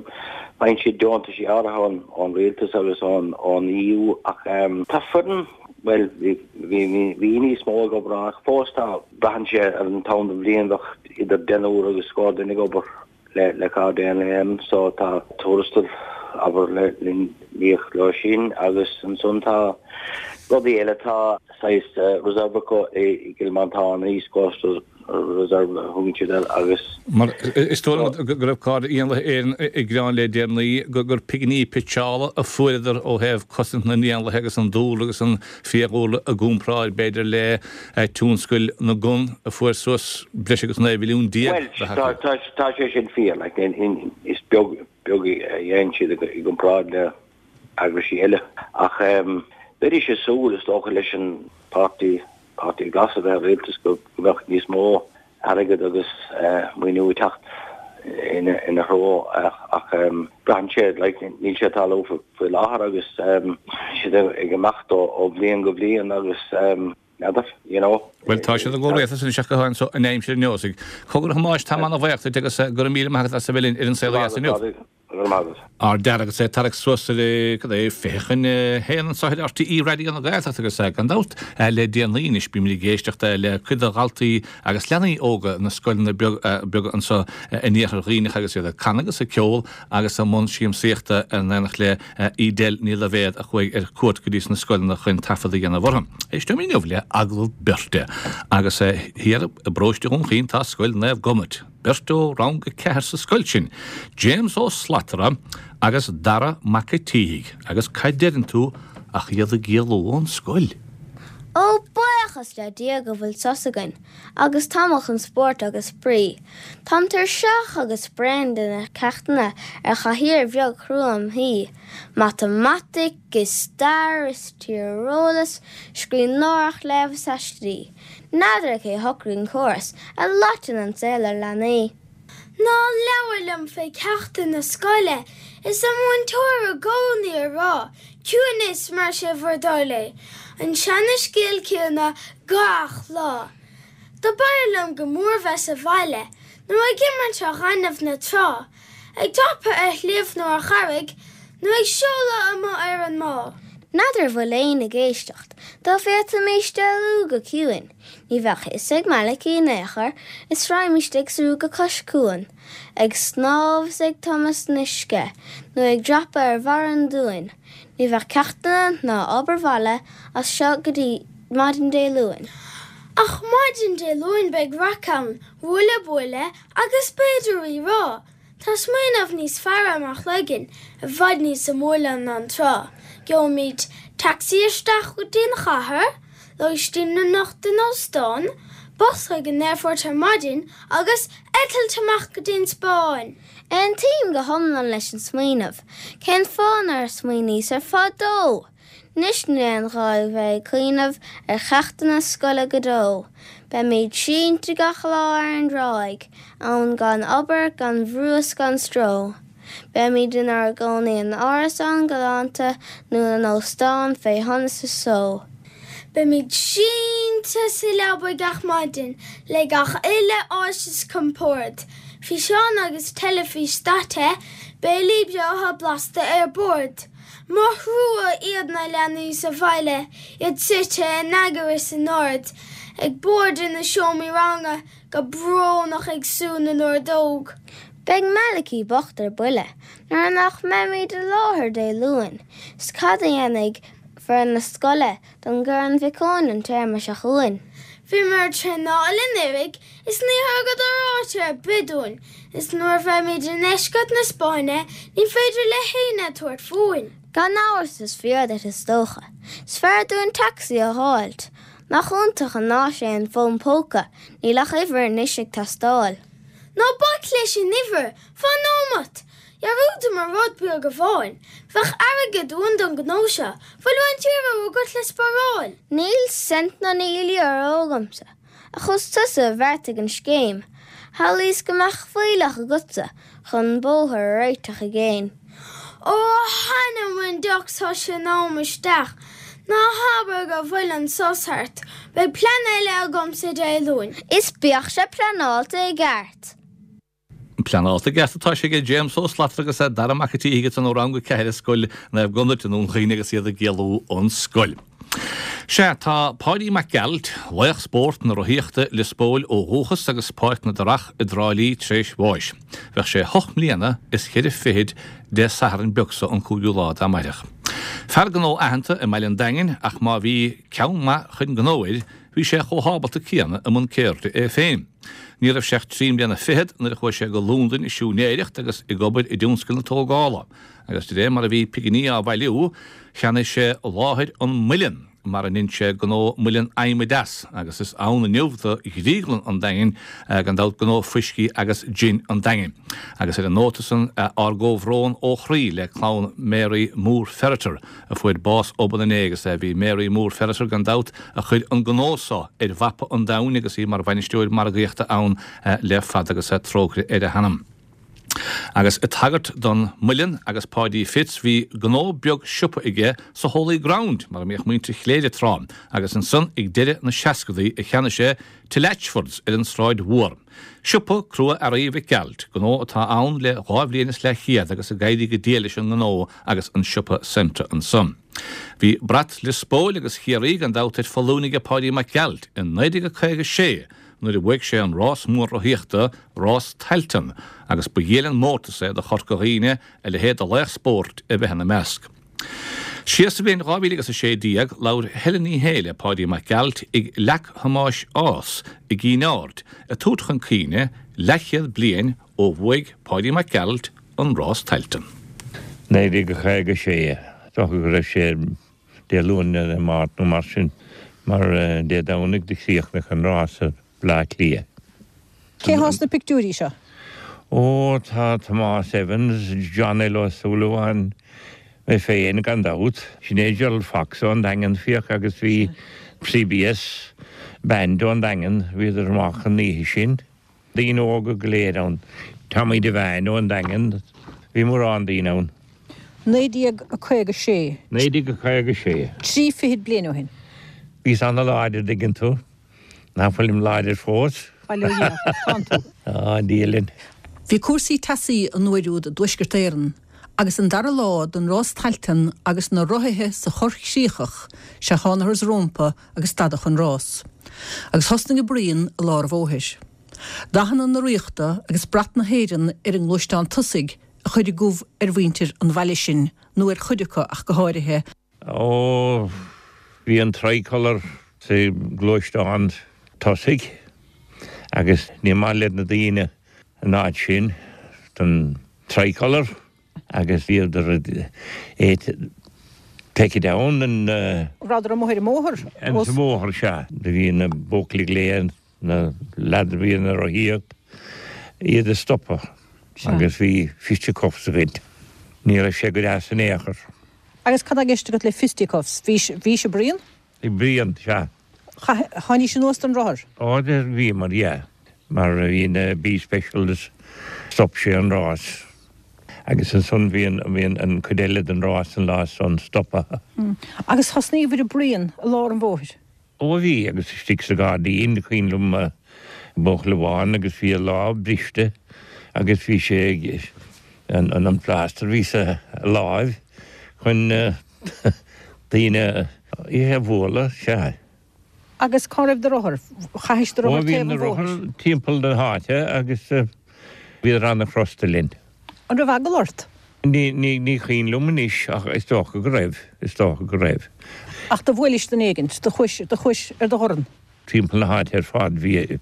faigheann siad deontaisí áirithe ón ón rialtas agus ón ón EU ach tá foireann, bhuel bhí bhí bhí níos mó ag obair ann ach fós tá, braitheann sé ar an t-am den bhliain bheadh idir deichniúr agus scór duine ag obair le le Cairde Éanlaithe Éireann so tá tuarastal abair le le n-íoc leo sin agus ansan tá rudaí eile tá saghas reserve acu i gCill Mhantáin an East Coastal Reserve a thugann siad air agus Mar is dóigh liom go raibh Cairde Éanlaithe Éireann ag gearán le deireanaí gur pinginí pitseála a fuaireadar ó thaobh cosaint na n-éanlaithe agus an dúlra agus an fiadhúlra i gcomparáid b'fhéidir le tionscal na gcon a fuair suas breis agus 19 mhilliún de Bhuel, tá sé sin fíor, like, is beag beag a dhéanann siad i gcomparáid le eagraisí eile. Ach bheidís ag súil, is dócha, leis an Páirtí, Páirtí Glas a bheith i rialtas go mbeadh níos mó airgead agus maoiniú ag teacht ina threo ach braitheann sé, like, níl sé ag tarlú faoi láthair agus siad ag imeacht ó bhliain go bliain agus n'fheadar, you know. Bhuel, tá siad i gcomhrialtas anois ach go háirithe anso in aimsir an Neosaigh. Cogar a Thomáis, tá mé ana-bhuíoch duit agus go raibh míle maith agat as a bheith linn ar An Saol Ó Dheas inniu. Go raibh maith agat. Ár dtear agus é ag tarrac suas ar, cad é, 12:40 anso ar RTÉ Raidió na Gaeltachta agus gan dabht le déanaí anois bímid ag éisteacht le cuid de dhaltaí agus leanaí óga na scoileanna beaga anso in iarthar Dhuibhneach agus iad ag canadh agus ag ceol agus i mbun siamsaíochta in éineacht le Edel Ní Loibhéad a chuaigh ar cuairt go dtí sna scoileanna chun taifead a dhéanamh orthu. Éisteoimid inniu le agallamh beirte agus thiar i bparóiste Dhún Chaoin tá Scoil Naomh Gobnait. Beirt ó rang 4 sa scoil sin, James Ó Slatara agus Dara Mac a' tSíthigh, agus cad deireann tú ach iad ag éalú ón scoil! Ó, buíochas! Buíochas le Dia go bhfuil sos againn, agus tamall chun spóirt agus spraoi. Táim tuirseach agus bréan de na ceachtanna ar chathaoir bheag chrua im shuí. Matamaitic is stair is tíreolas, scríbhneoireacht, léamh is aistí. N'fheadar cé shocraigh an córas a loiteann an saol ar leanaí. Ná labhair liom fé ceachtanna scoile is an múinteoir i gcónaí a rá ciúin is mar sé bhur dtoil é, an seana scéal céanna gach lá. Do b'fhearr liom go mór bheith sa bhaile nó ag imirt ar ghaineamh na trá, ag dreapadh ar shliabh nó ar charraig nó ag seoladh amuigh ar an mbá. N'fheadar bhfuil éinne ag éisteacht, dá bhféadfaimis éalú go ciúin. Ní bheadh fhios ag Malachy in aon chor is raghaimist ag súil go cois cuain, ag snámh is ag tumadh san uisce nó ag dreapadh ar bharr an dúin. Ní bheadh ceachtanna ná obair bhaile as seo go dtí maidin Dé Luain. Ach maidin Dé Luain beidh raic ann, ruaille buaille agus b'fhéidir rí rá. Tá smaoineamh níos fearr i mo chloigeann, i bhfad níos suimiúla ná an trá. Gheobhaimid tacsaí isteach go dtí an chathair, lóistín anocht in óstán, bus chuig an aerfort ar maidin agus eitilt amach go dtí an Spáinn! Aontaím go hiomlán leis an smaoineamh. Cén fáth nár smaoiníos air fadó? Anois níl aon ghá a bheith ag cuimhneamh ar cheachtanna scoile go deo. Beimid sínte gach lá ar an dtráigh, ann gan obair, gan bhrú is gan stró. Beimid inár gcónaí in árasán galánta nó in óstán fé shonas is só. Beimid sínte sa leaba gach maidin le gach uile áis is compord, físeán agus teilifís daite, béilí breátha blasta ar bord. Mo thrua iad na leanaí sa bhaile, iad suite in eagar is in ord, ag boird ina seomraí ranga, go brónach ag sú na n-ordóg. Beidh Malachy bocht ar buile nuair nach mbeimid i láthair Dé Luain, 's cad a dhéanfaidh foireann na scoile don gCorn Mhic Eoin an téarma seo chugainn? Bhíomar ag traenáil anuraidh Is ní thugadar áit ar bith dúinn, is nuair a bheimid i ndeisceart na Spáinne ní féidir le héinne tabhairt fúinn. Gan amhras is fíor duit is dócha. Is fearr dúinn tacsaí a dh'fháilt. Nach iontach an áis é an fón póca, níl ach uimhir anois ag teastáil. Ná bac leis an uimhir, fan nóimeat! Dhearúdamar rud beag amháin, bheadh airgead uainn don ghnó seo, bhfuil roinnt euro agat le spáráil? Níl cent ná níl euro agamsa. Ach is tusa a bheartaigh an scéim. Shamhlaíos go mbeadh fuílleach agatsa chun an bóthar a réiteach i gcéin. Ó, a th'anam 'on deoch tá sé in am isteach. Ná habair go bhfuil an sos thart. Beidh plean eile agamsa Dé Luain. Is bíodh sé pleanáilte i gceart. Pleanáilte i gceart atá sé aige James Ó Slatara agus Dara Mac an tSíthigh ansan ó Rang 4 Scoil Naomh Gobnait i nDún Chaoin agus iad ag éalú ón scoil. Sea, tá Páidí Mac Gearailt, laoch spóirt na rothaíochta Lios Póil ó dhúchas agus Páirc na dTarach i dTrá Lí tréis bháis. Bheadh sé hocht mbliana is cheithre fichid Dé Sathairn beag so an cúigiú lá d'amáireach. Fear gnó aitheanta i mbaile an Daingin ach má bhí ceann maith chun gnó air, bhí sé chomh hábalta céanna i mbun ceirde é féin. Ní raibh sé ach trí mbliana fichead nuair a chuaigh sé go Londain ag siúinéireacht agus ag obair i dtionscal na tógála, agus de réir mar a bhí piginí á bhailiú, cheannaigh sé láthair an muileann mar a ndein sé gnó muileann adhmaid as, agus is ann inniu do dhrioglann an Daingin, gan dabht gnó fuiscí agus jin an Daingin. Agus ar an nóta san, ár gcomhbhrón ó chroí le clann Mary Moore Ferriter, a fuair bás obann inné agus bhí Mary Moore Ferriter gan dabht a chuir an gnó so ar mhapa an domhain agus í mar bhainisteoir margaíochta ann le fada agus trócaire ar a hanam. Agus ag tagairt don muileann agus Páidí Fitz bhí gnó beag siopa aige sa Holy Ground mar a mbíodh muintir Chléire tráth agus ansan ag deireadh na seascadaí a cheannaigh sé Till Latchfords ar an Sráid Mhór. Siopa Crua-Earraí Mhic Gearailt, gnó atá ann le dhá bhliain is leathchéad agus ag éirí go diail leis an ngnó agus an siopa Centra ansan. Bhí brat Lios Póil agus Chiarraí gan dabht ar foluain aige Páidí Mac Gearailt i 1956 nuair a bhuaigh sé an rás mór rothaíochta, Rás Tailteann, agus ba dhiail an mórtas é do Chorca Dhuibhne a leithéid de laoch spóirt a bheith ina measc. Siar sa bhliain 2016, labhair Helen Ní Shé le Páidí Mac Gearailt ag Leac Thomáis Ághas i gCinn Aird, ag tabhairt chun cuimhne leathchéad bliain ó bhuaigh Páidí Mac Gearailt an Rás Tailteann. 1956, is dócha go raibh sé Dé Luain nó Dé Máirt nó mar sin. Mar Dé Domhnaigh do chríochnaigh an rás i Bleá Cliath. Cé thá sna pictiúirí seo? Ó, tá Tomás Evans, John L. Ó Súilleabháin, mé féin gan dabht. Sin é Gerald Fox ón Daingean, féach, agus bhí CBS Band ón Daingean, bhíodar amach an oíche sin. Daoine óga go léir ann. Tommy Devane ón Daingean, bhí mórán daoine ann. 1956. 1956. Trí fichid bliain ó shin. Bhíos ana-láidir, dtuigeann tú. Nach bhfuilim láidir fós? Bail ó Dhia ort, tánn tú. Á, Dia linn. Bhí cúrsaí teasaí an uair úd i dTuaisceart Éireann agus an dara lá den rás Tailteann agus na rothaithe sa Chorr Chríochach, sea thánathar's rómpa agus stadadh an rás. Agus thosnaigh an bruíon i lár an bhóthair. Dathanna na Ríochta agus brat na hÉireann ar an ngluaisteán tosaigh a chuir an gomh ar mhuintir an bhaile sin, nó ar chuid acu ach go háirithe. Ó, bhí an tricolour sa gluaisteán tosaigh agus ní maith le na daoine an áit sin don tricolour agus bhíodar ag take it down and. Rabhadar amuigh ar an mbóthar? Ar an mbóthar, sea. Do bhí na buachaillí ag glaoch na leaids a bhí ina rothaíocht, iad a stopadh agus bhí fisticuffs againn. Ní raibh sé go deas in aon chor. Agus cad tá i gceist agat le fisticuffs? Bhís, bhís ag bruíon? Ag bruíon, sea. Chaith, tháinís anuas den rothar? Ó, bhíomar, yeah. Mar bhí na B Specials, stop sé an rás. Agus ansan bhí an, bhí an, an cuid eile den rás an lá san stoptha. Agus thosnaíobhair ag bruíon i lár an bhóthair? Ó bhí, agus istigh sa ghairdín, cuimhin liom buachaill amháin agus bhí a lámh briste agus bhí sé ag, an an plaster a bhí sa láimh chun daoine a bhualadh, sea. Agus cá raibh do rothar? Chaithis do Ó rothar bhí taobh na an bhóthair? rothair timpeall na háite agus bhíodar ana-chrosta linn. An raibh eagla ort? Ní, ní, ní cuimhin liom anois ach is dócha go raibh, is dócha go raibh. Ach do bhuailis duine éigint, do chuais, do chuais ar do dhorn. Timpeall na háite ar fad bhí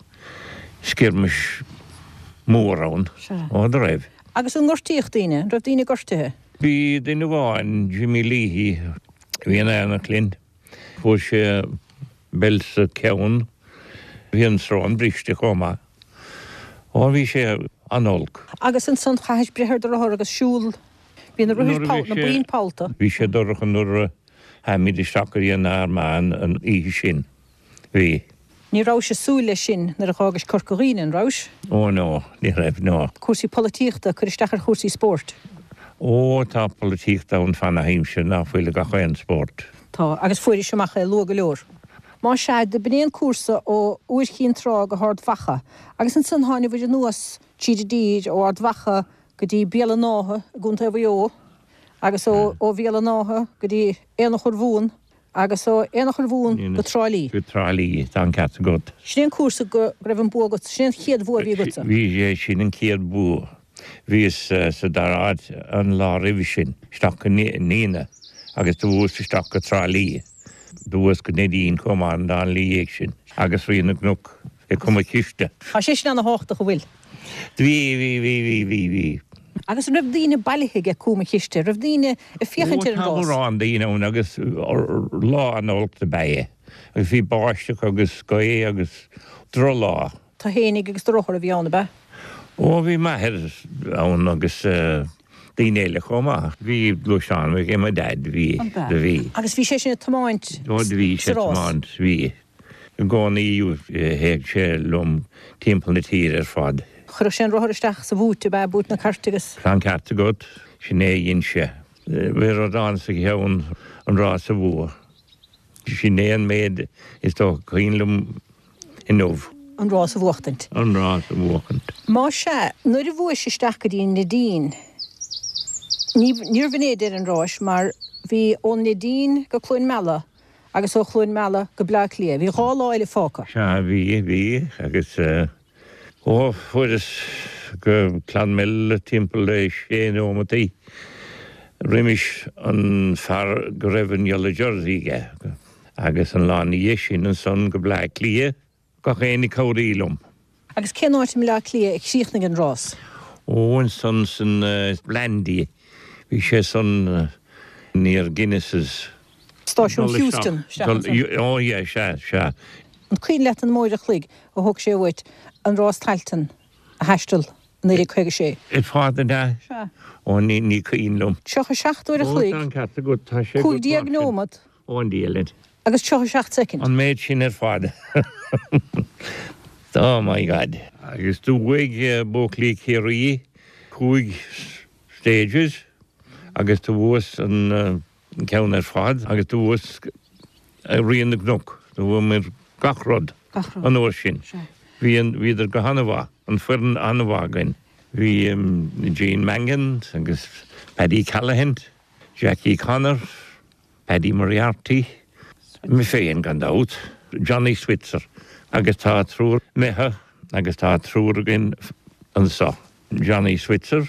skirmish mór ann. Sea. Ó, do raibh. Agus an ngortaíodh daoine? An raibh daoine gortaithe? Bhí duine amháin, Jimmy Leahy, a bhí in éineacht linn. Fuair sé beilt sa cheann. Bhí an srón briste chomh maith. Ó bhí sé an-olc. Agus ansan chaithis breith ar do rothar agus siúl. Bhí na rothair poll, na boinn pollta. Bhí sé dorcha nuair a tháimid isteach go dtí an Armagh an oíche sin. Bhí. Ní rabhais ag súil leis sin nuair a dh'fhágais Corca Dhuibhne, an rabhais? Ó no, ní raibh, no. Cúrsaí polaitíochta, ag cur isteach ar chúrsaí spóirt. Ó, tá polaitíocht ann fana haimsir ná fuil i gach aon spórt. Tá, agus fuairis amach é luath go leor. Más ea, do b'in é an cúrsa ó Iúr Chinn Trá go hArd Mhacha, agus ansan tháinabhair anuas tríd an dtír ó Ard Mhacha go dtí Béal an Átha i gContae Mhaigh Eo, agus ó Bhéal an Átha go dtí Aonach Urmhumhan, Agus ó Aonach Urmhumhan go Trá Lí. Go Trá Lí, tá an ceart agat. Sin é an cúrsa go raibh an bua agat, sin é an chéad bhua a bhí agatsa. Bhí sé sin an chéad bua. Bhíos sa dara háit an lá roimhe sin, isteach go Nenagh agus do bhuas isteach go Trá Lí. Do bhuas go Neidín chomh maith an lá ina dhiaidh sin agus Rí na gCnoc i gCom an Chiste. Tá sé sin ana-thábhachtach, an bhfuil? Bhí, bhí, bhí, bhí, bhí, bhí. Agus an raibh daoine bailithe aige Cúm an Chiste? Raibh daoine ag féachaint Ó, ar an tá rás? mórán daoine ann agus lá an-olc do b'ea é. Agus bhí báisteach agus gaoth agus drochlá. Tú fhéinig agus do rothar a bhí ann, ab ea? Ó, bhí m'athair ann agus daoine eile chomh maith. Bhí gluaisteán ag mo dhaid, bhí, do bhí. Agus bhí sé sin ag tiomáint Ó, do bhí sé sa ag rás? tiomáint, bhí. I gcónaí théadh sé liom timpeall na tíre ar fad. Chuirfeadh sé an rothar isteach sa bhúit, ab ea, búit na cairte agus. Tá an ceart agat, sin é a dhein sé. Bhí rud ann sa cheann an rás a bhua. Sin é an méid is dócha cuimhin liom inniu. An rás a bhuachtaint. An rás a bhuachaint. Más ea, nuair a bhuais isteach go dtí an Neidín, ní, níorbh in é deireadh an ráis mar bhí ón Neidín go Cluain Meala Agus ó Chluain Meala go Bleá Cliath. Bhí 2 lá eile fágtha. Sea, bhí, bhí, agus ó, fuaireas go Clonmel timpeall le sé nóimeataí roimis an fear go raibh an yellow jersey aige, agus an lá ina dhiaidh sin ansan go Bleá Cliath. Gach éinne ag cabhraí liom. Agus cén áit i mBleá Cliath a chríochnaigh an rás? Ó, ansan san Blandy. Bhí sé san near Guinness's. Stáisiún Heuston isteach ansan. Ó yeah, sea, sea. An cuimhin leat an mó uair a chloig a thóg sé uait an rás Tailteann a thaisteal i 1956? Ar fad an ea? Sea. Ó ní, ní cuimhin liom. 37 uair a Ó chloig, tá an ceart agat, tá sé agat 15 mar sin. nóimeat. Ó an diabhal. Agus 37 soicind. An méid sin ar fad. Oh my God. Agus do bhuaigh buachaillí Chiarraí 5 stages agus do bhuas an ceann ar fad agus do bhuas Rí na gCnoc. Do bhuamair gach rud an uair sin. Bhí an, bhíodar go han-mhaith, an foireann an-mhaith againn. Bhí Gene Mangan agus Paddy Callaghan, Jackie Connor, Paddy Moriarty, mé féin gan dabht, Johnny Switzer agus tá triúr imithe agus tá triúr againn anso, Johnny Switzer,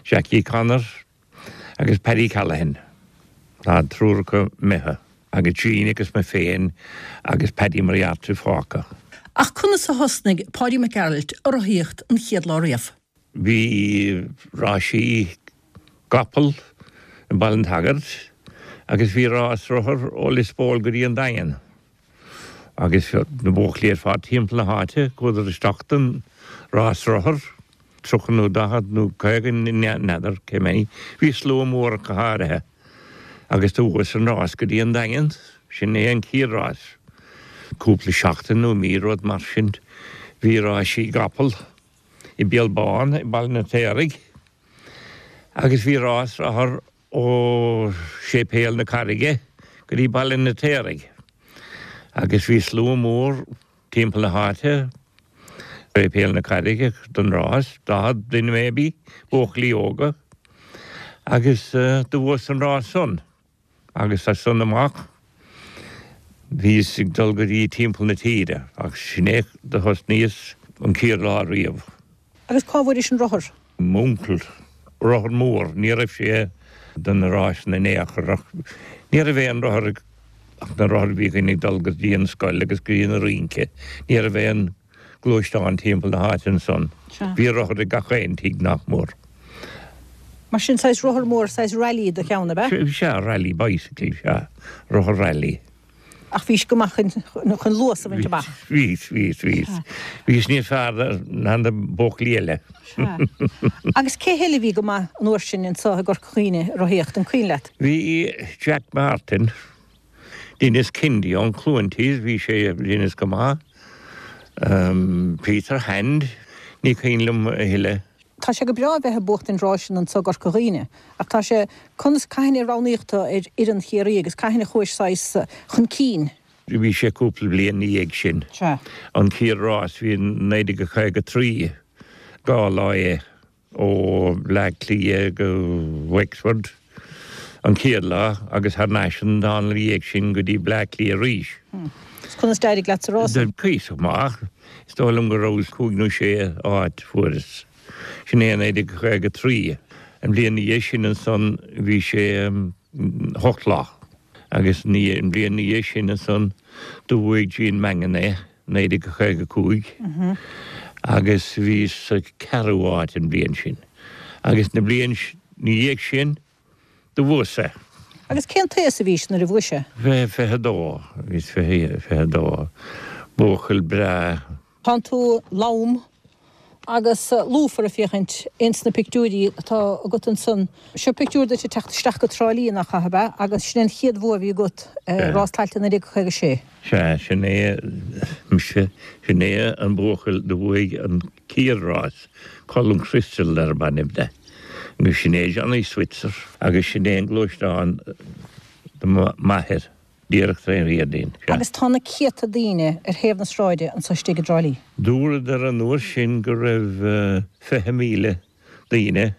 Jackie Connor agus Paddy Callaghan. Tá triúr acu imithe agus Gene agus mé féin agus Paddy Moriarty fágtha. Ach conas a thosnaigh Páidí Mac Gearailt a rothaíocht an chéad lá riamh? Bhí rásaí gcapall i mBaile an tSagairt agus bhí rás rothar ó Lios Póil go dtí an Daingean agus na buachaillí ar fad timpeall na háite chuadar isteach don rás rothar, 30 nó 40 nó 50 n'fheadar cé mhéad, bhí slua mór ach go háirithe agus do bhuas an rás go dtí an Daingean, sin é an chéad rás. Cúpla seachtain nó mí rud mar sin bhí rásaí gcapall. i Béal Bán i Baile an Fheirtéaraigh agus bhí rás rothar ó Séipéal na Carraige go dtí Baile an Fheirtéaraigh agus bhí slua mór timpeall na háite, Séipéal na Carraige don rás, 40 duine maybe, buachaillí óga agus do bhuas an rás san. Agus as san amach bhíos ag dul go dtí timpeall na tíre ach sin é do thosnaíos an chéad lá riamh. Agus cá bhfuairis an rothar? M'uncail. Rothar mór. Ní raibh sé do na ráiseanna in aon chor ach ní raibh aon rothar ag ach na rothair a bhí againn ag dul go dtí an scoil agus go dtí an rince. Ní raibh aon gluaisteán timpeall na háite ansan. Bhí rothar ag gach aon tigh nach mór. Mar sin, saghas rothar mór, saghas rally do cheann, ab ea? Sea, rally bicycle, sea. Rothar rally. Ach bhís go maith chun luas a bhaint amach. Bhíos, bhíos, bhíos. Bhíos níos fearr ná na buachaillí eile. Sea. Agus cé heile a bhí go maith an uair sin anso i gCorca Dhuibhne ag rothaíocht, an cuimhin leat? Bhí Jack Martin. Denis Kennedy ón Chluain Tíos, bhí sé, Denis go maith. Peter Hand, ní cuimhin liom a thuilleadh. Tá sé go breá a bheith ag buachtaint ráiseanna anso i gCorca Dhuibhne, ach tá sé, conas, cathain a roghnaíodh tú ar fhoireann Chiarraí agus cathain a chuais saghas chun cinn? Bhí sé cúpla bliain ina dhiaidh sin. Sea. An chéad rás, bhí 1953, 2 lá é. ó Bhleá Cliath go Wexford an chéad lá agus thar n-ais an dá lá ina dhiaidh sin go dtí Bleá Cliath arís. Agus conas d'éirigh leat sa rás? Cuíosach maith. Is dóigh liom go rabhas cúig nó sé áit fuaireas. Sin é 1953. An bhliain ina dhiaidh sin ansan bhí sé hocht lá. Agus an bhliain ina dhiaidh sin ansan do bhuaigh Gene Mangan é. 1955 agus bhíos sa ceathrú áit an bhliain sin agus na bliain na dhiaidh sin do bhuas é. Agus cén t-aos a bhís nuair a bhuais é? 22, bhíos 22, buachaill breá. Tánn tú lom agus lúfar ag féachaint ins na pictiúirí atá agat ansan. Seo pictiúr duit ag teacht isteach go Trá Lí, nach ea, ab ea? Agus sin é an chéad bhua a bhí agat, Rás Tailteann 1956. Sea, sin é mise, sin é an buachaill do bhuaigh an chéad rás, Colm Crystal darb ainm de. Agus sin é Johnny Switzer agus sin é an gluaisteán do m'athair. Díreach tré Riordain, sea. Agus tá na céadta daoine ar thaobh na sráide anso istigh i dTrá Lí. Dúradar an uair sin go raibh 20,000 daoine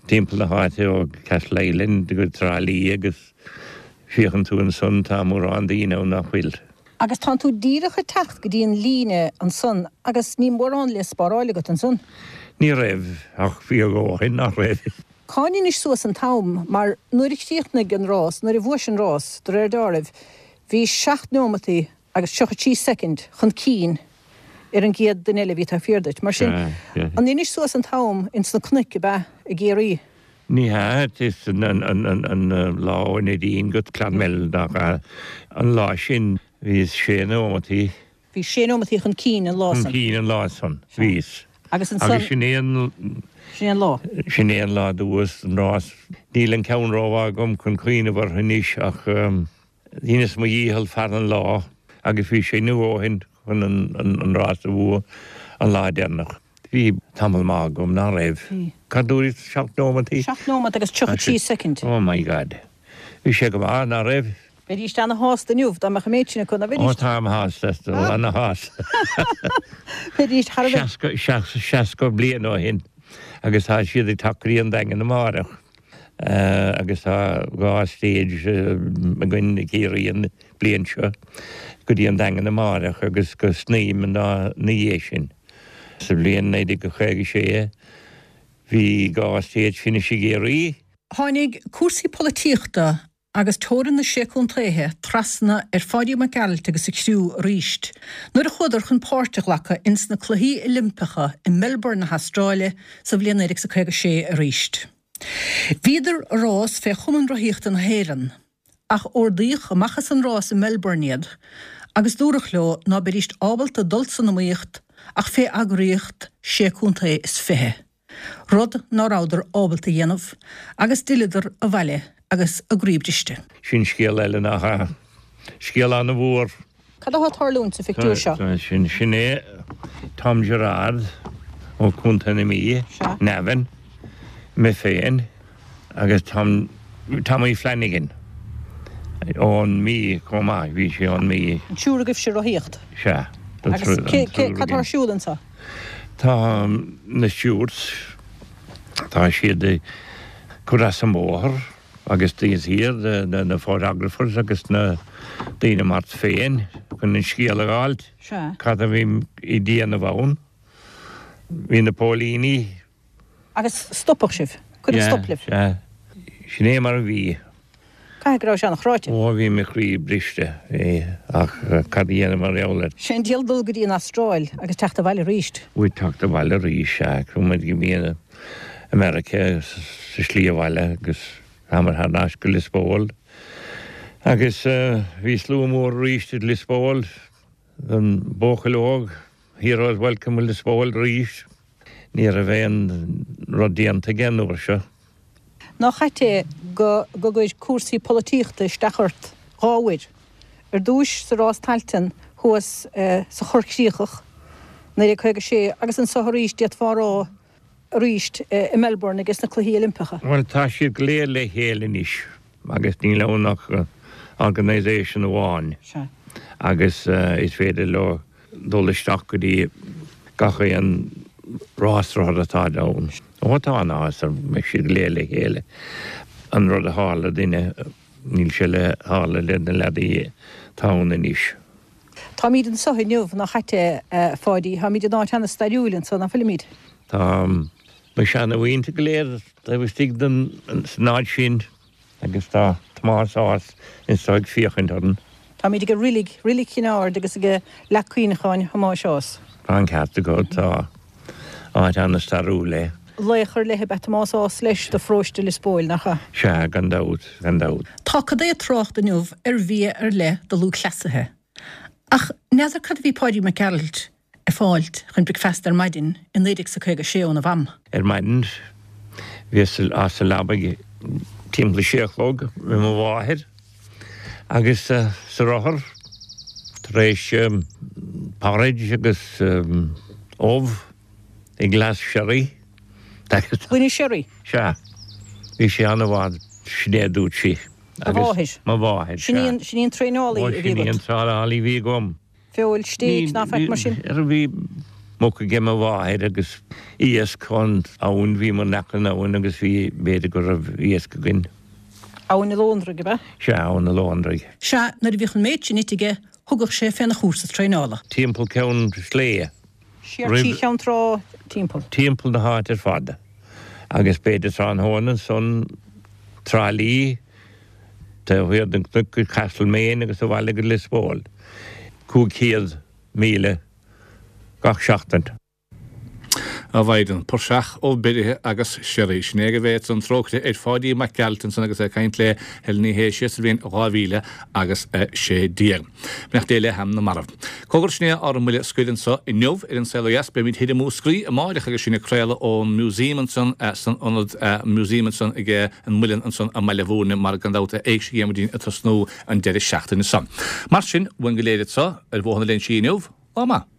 timpeall na háite ó Castleisland go Trá Lí agus féachann tú ansan tá mórán daoine ann nach bhfuil. Agus tánn tú díreach ag teacht go dtí an líne ansan agus ní mórán le spáráil agat ansan. Ní raibh, ach bhí a dhóthain, nach raibh. Cá ndeinis suas an t-am? Mar nuair a chríochnaigh an rás, nuair a bhuais an rás, de réir deáraimh, bhí seacht neomataí agus 33 soicind chun cinn ar an gcéad duine eile a bhí taobh thiar duit. Mar sin, an ndeinis suas an t-am ins na cnoic, ab ea, i gCiarraí? Ní hea, is an lá ó Neidín go Clonmel nach ea? An lá sin bhíos sé nóimeataí. Bhí sé nóimeataí chun cinn an lá san. Chun cinn an lá san, bhíos. Agus ansan. Agus sin é an. Sin é an lá. Sin é an lá a bhuas an rás. Níl an ceann rómhaith agam chun cuimhneamh orthu anois ach dheineas mo dhícheall fear an lá agus bhí sé inniu ó shin chun an rás a bhua an lá deireanach. Bhí tamall maith agam, ná raibh? Bhí. Cad dúirt 7 nóimeataí? 7 nóimeat agus 33 soicind. Oh my God. Bhí sé go maith, ná raibh? Bheidís ana-shásta inniu dá mbeadh an méid sin acu, ná bheidís? Ó táim shásta, ana-shásta. Bheidís thar a bheith. 60 bliain ó shin agus tá siad ag teacht go dtí an Daingean amárach agus tá 2 stage againn i gCiarraí an bliain seo go dtí an Daingean amárach agus go Snaidhm ina dhiaidh sin. Sa bhliain 1956 bhí 2 stage finish i gCiarraí. Tháinig cúrsaí polaitíochta agus teorainn na Sé Contaetha trasna ar Pháidí Mac Gearailt agus a chriú arís nuair a chuadar chun páirt a ghlacadh ins na Cluichí Oilimpeacha i Melbourne na hAstráile sa bhliain 1956 arís. Bhíodar ag rás fé Chumann Rothaíochta na hÉireann ach ordaíodh amach as an rás i Melbourne iad agus dúradh leo ná beidíst ábalta dul san iomaíocht ach fé eagraíocht sé contae is fiche. rud ná rabhadar ábalta a dhéanamh, agus d'fhilleadar abhaile agus a gcroí briste. Sin scéal eile, nach ea? Scéal an-mhór. Cad atá ag tarlúint sa phictiúr seo? Sin, sin é Tom Gerard ó Chontae na Mí, Navan, mé féin agus Tom, Tommy Flanagan ón Mí chomh maith, bhí sé ón Mí. An triúr agaibhse ag rothaíocht? Sea. Agus cé, cé, cad tá ar siúl anseo? Tá na stewards, tá siad ag cur as an mbóthar agus taobh thiar de na photographers agus na daoine mar tú féin chun an scéal a fháilt, cad a bhí ag déanamh ann. Bhí na póilíní. Agus stopadh sibh? Cuireadh stop libh? Sea, sin é mar a bhí. Caithfidh go raibh sé an-chráite. Ó, bhí mo chroí briste, bhí, ach cad a dhéanamh mar gheall air? Sé an diabhal dul go dtí an Astráil agus teacht abhaile arís. Bhuel, teacht abhaile arís, sea. Chuaigh muid go dtí America sa slí abhaile agus thámar thar n-ais go Lios Póil. Agus bhí slua mór arís i Lios Póil don buachaill óg, Heroes Welcome i Lios Póil arís. Ní raibh aon rud déanta aige an uair seo. Nach ait é go go gcuir cúrsaí polaitíochta isteach ort 2 uair. Ar dtúis sa rás Tailteann thuas sa Chorr Chríochach, 1956, agus anso arís, d'fhéadfá a rá arís i Melbourne ages na Cluichí Oilimpeacha. Bhuel, tá siad go léir le chéile anois agus níl ann ach organisation amháin agus is féidir leo dul isteach go dtí gach aon rás rothar atá ann. Ó tá an-áthas orm go mbeidh siad go léir le chéile. An rud a tharla duinne, níl sé le tharla le na leadaí atá ann anois. Táimíd anso inniu, nach ait é, a Pháidí? Táimíd in áit ana-stairiúil anso, ná fuilimíd? Tá mo sheana-mhuintir go léir taobh istigh den, san áit sin. Agus tá Tomás Ághas anso ag féachaint orainn. Táimid ag reilig, Reilig Chinn Aird agus ag leac cuimhneacháin Thomáis Ághas. Tá an ceart agat, tá. Áit an-stairiúil é. Laoch ar leith ab ea Tomás Ághas leis do pharóiste Lios Póil, nach ea? Sea, gan dabht, gan dabht. Tá cad é trácht inniu ar bhia ar leith do lúthchleasaithe. Ach n'fheadar cad a bhí Páidí Mac Gearailt ag fáilt chun bricfeasta ar maidin i 1956 óna mham. Ar maidin bhíos as an leabaidh timpeall a sé a chlog le mo mháthair agus sa rothar tar éis porridge agus ubh i glas sherry. Gloine sherry? Sea. Bhí sé an-mhaith, sin é a dúirt sí. Do mháthair? Mo mháthair, sea. Sin í an traenálaí a bhí agat? Sin í an traenálaí a bhí agam. Feoil, stéig, ná faic mar sin? Bhí muc aige mo mháthair agus iasc ón abhainn, bhíomar in aice an abhainn agus bhí, b'fhéidir go raibh iasc againn. Abhainn an Lóndraigh, ab ea? Sea, Abhainn an Lóndraigh. Sea, nuair a bhíodh an méid sin ite aige, thugadh sé féna chúrsa traenála. Timpeall Ceann Sléibhe. Siar trí Cheann Trá timpeall. Timpeall na háite ar fad. Agus b'fhéidir tráthnóna ansan, Trá Lí, Taobh thiar den chnoc go Castlemaine agus abhaile go Lios Póil, 500 míle gach seachtain. A Mhaighdean, praiseach ó bheirithe agus sherry. Sin é go bhféadfadh an trócaire ar Pháidí Mac Gearailt ansan agus é ag caint le Helen Ní Shé siar sa bhliain 2016. Beannacht Dé le hanam na marbh. Cogar sin é ár mbuille scoir anso inniu ar An Saol Ó Dheas. Beimid thoir i Múscraí amáireach agus sinn ag craoladh ón Museum ansan san ionad Museum ansan ag an Muileann ansan i mBaile Bhúirne mar gan dabht Éigse Dhiarmuidín ag tosnú an deireadh seachtaine seo. Mar sin, uainn go léir anso ar Bhóthar na Léinsí inniu, lá maith.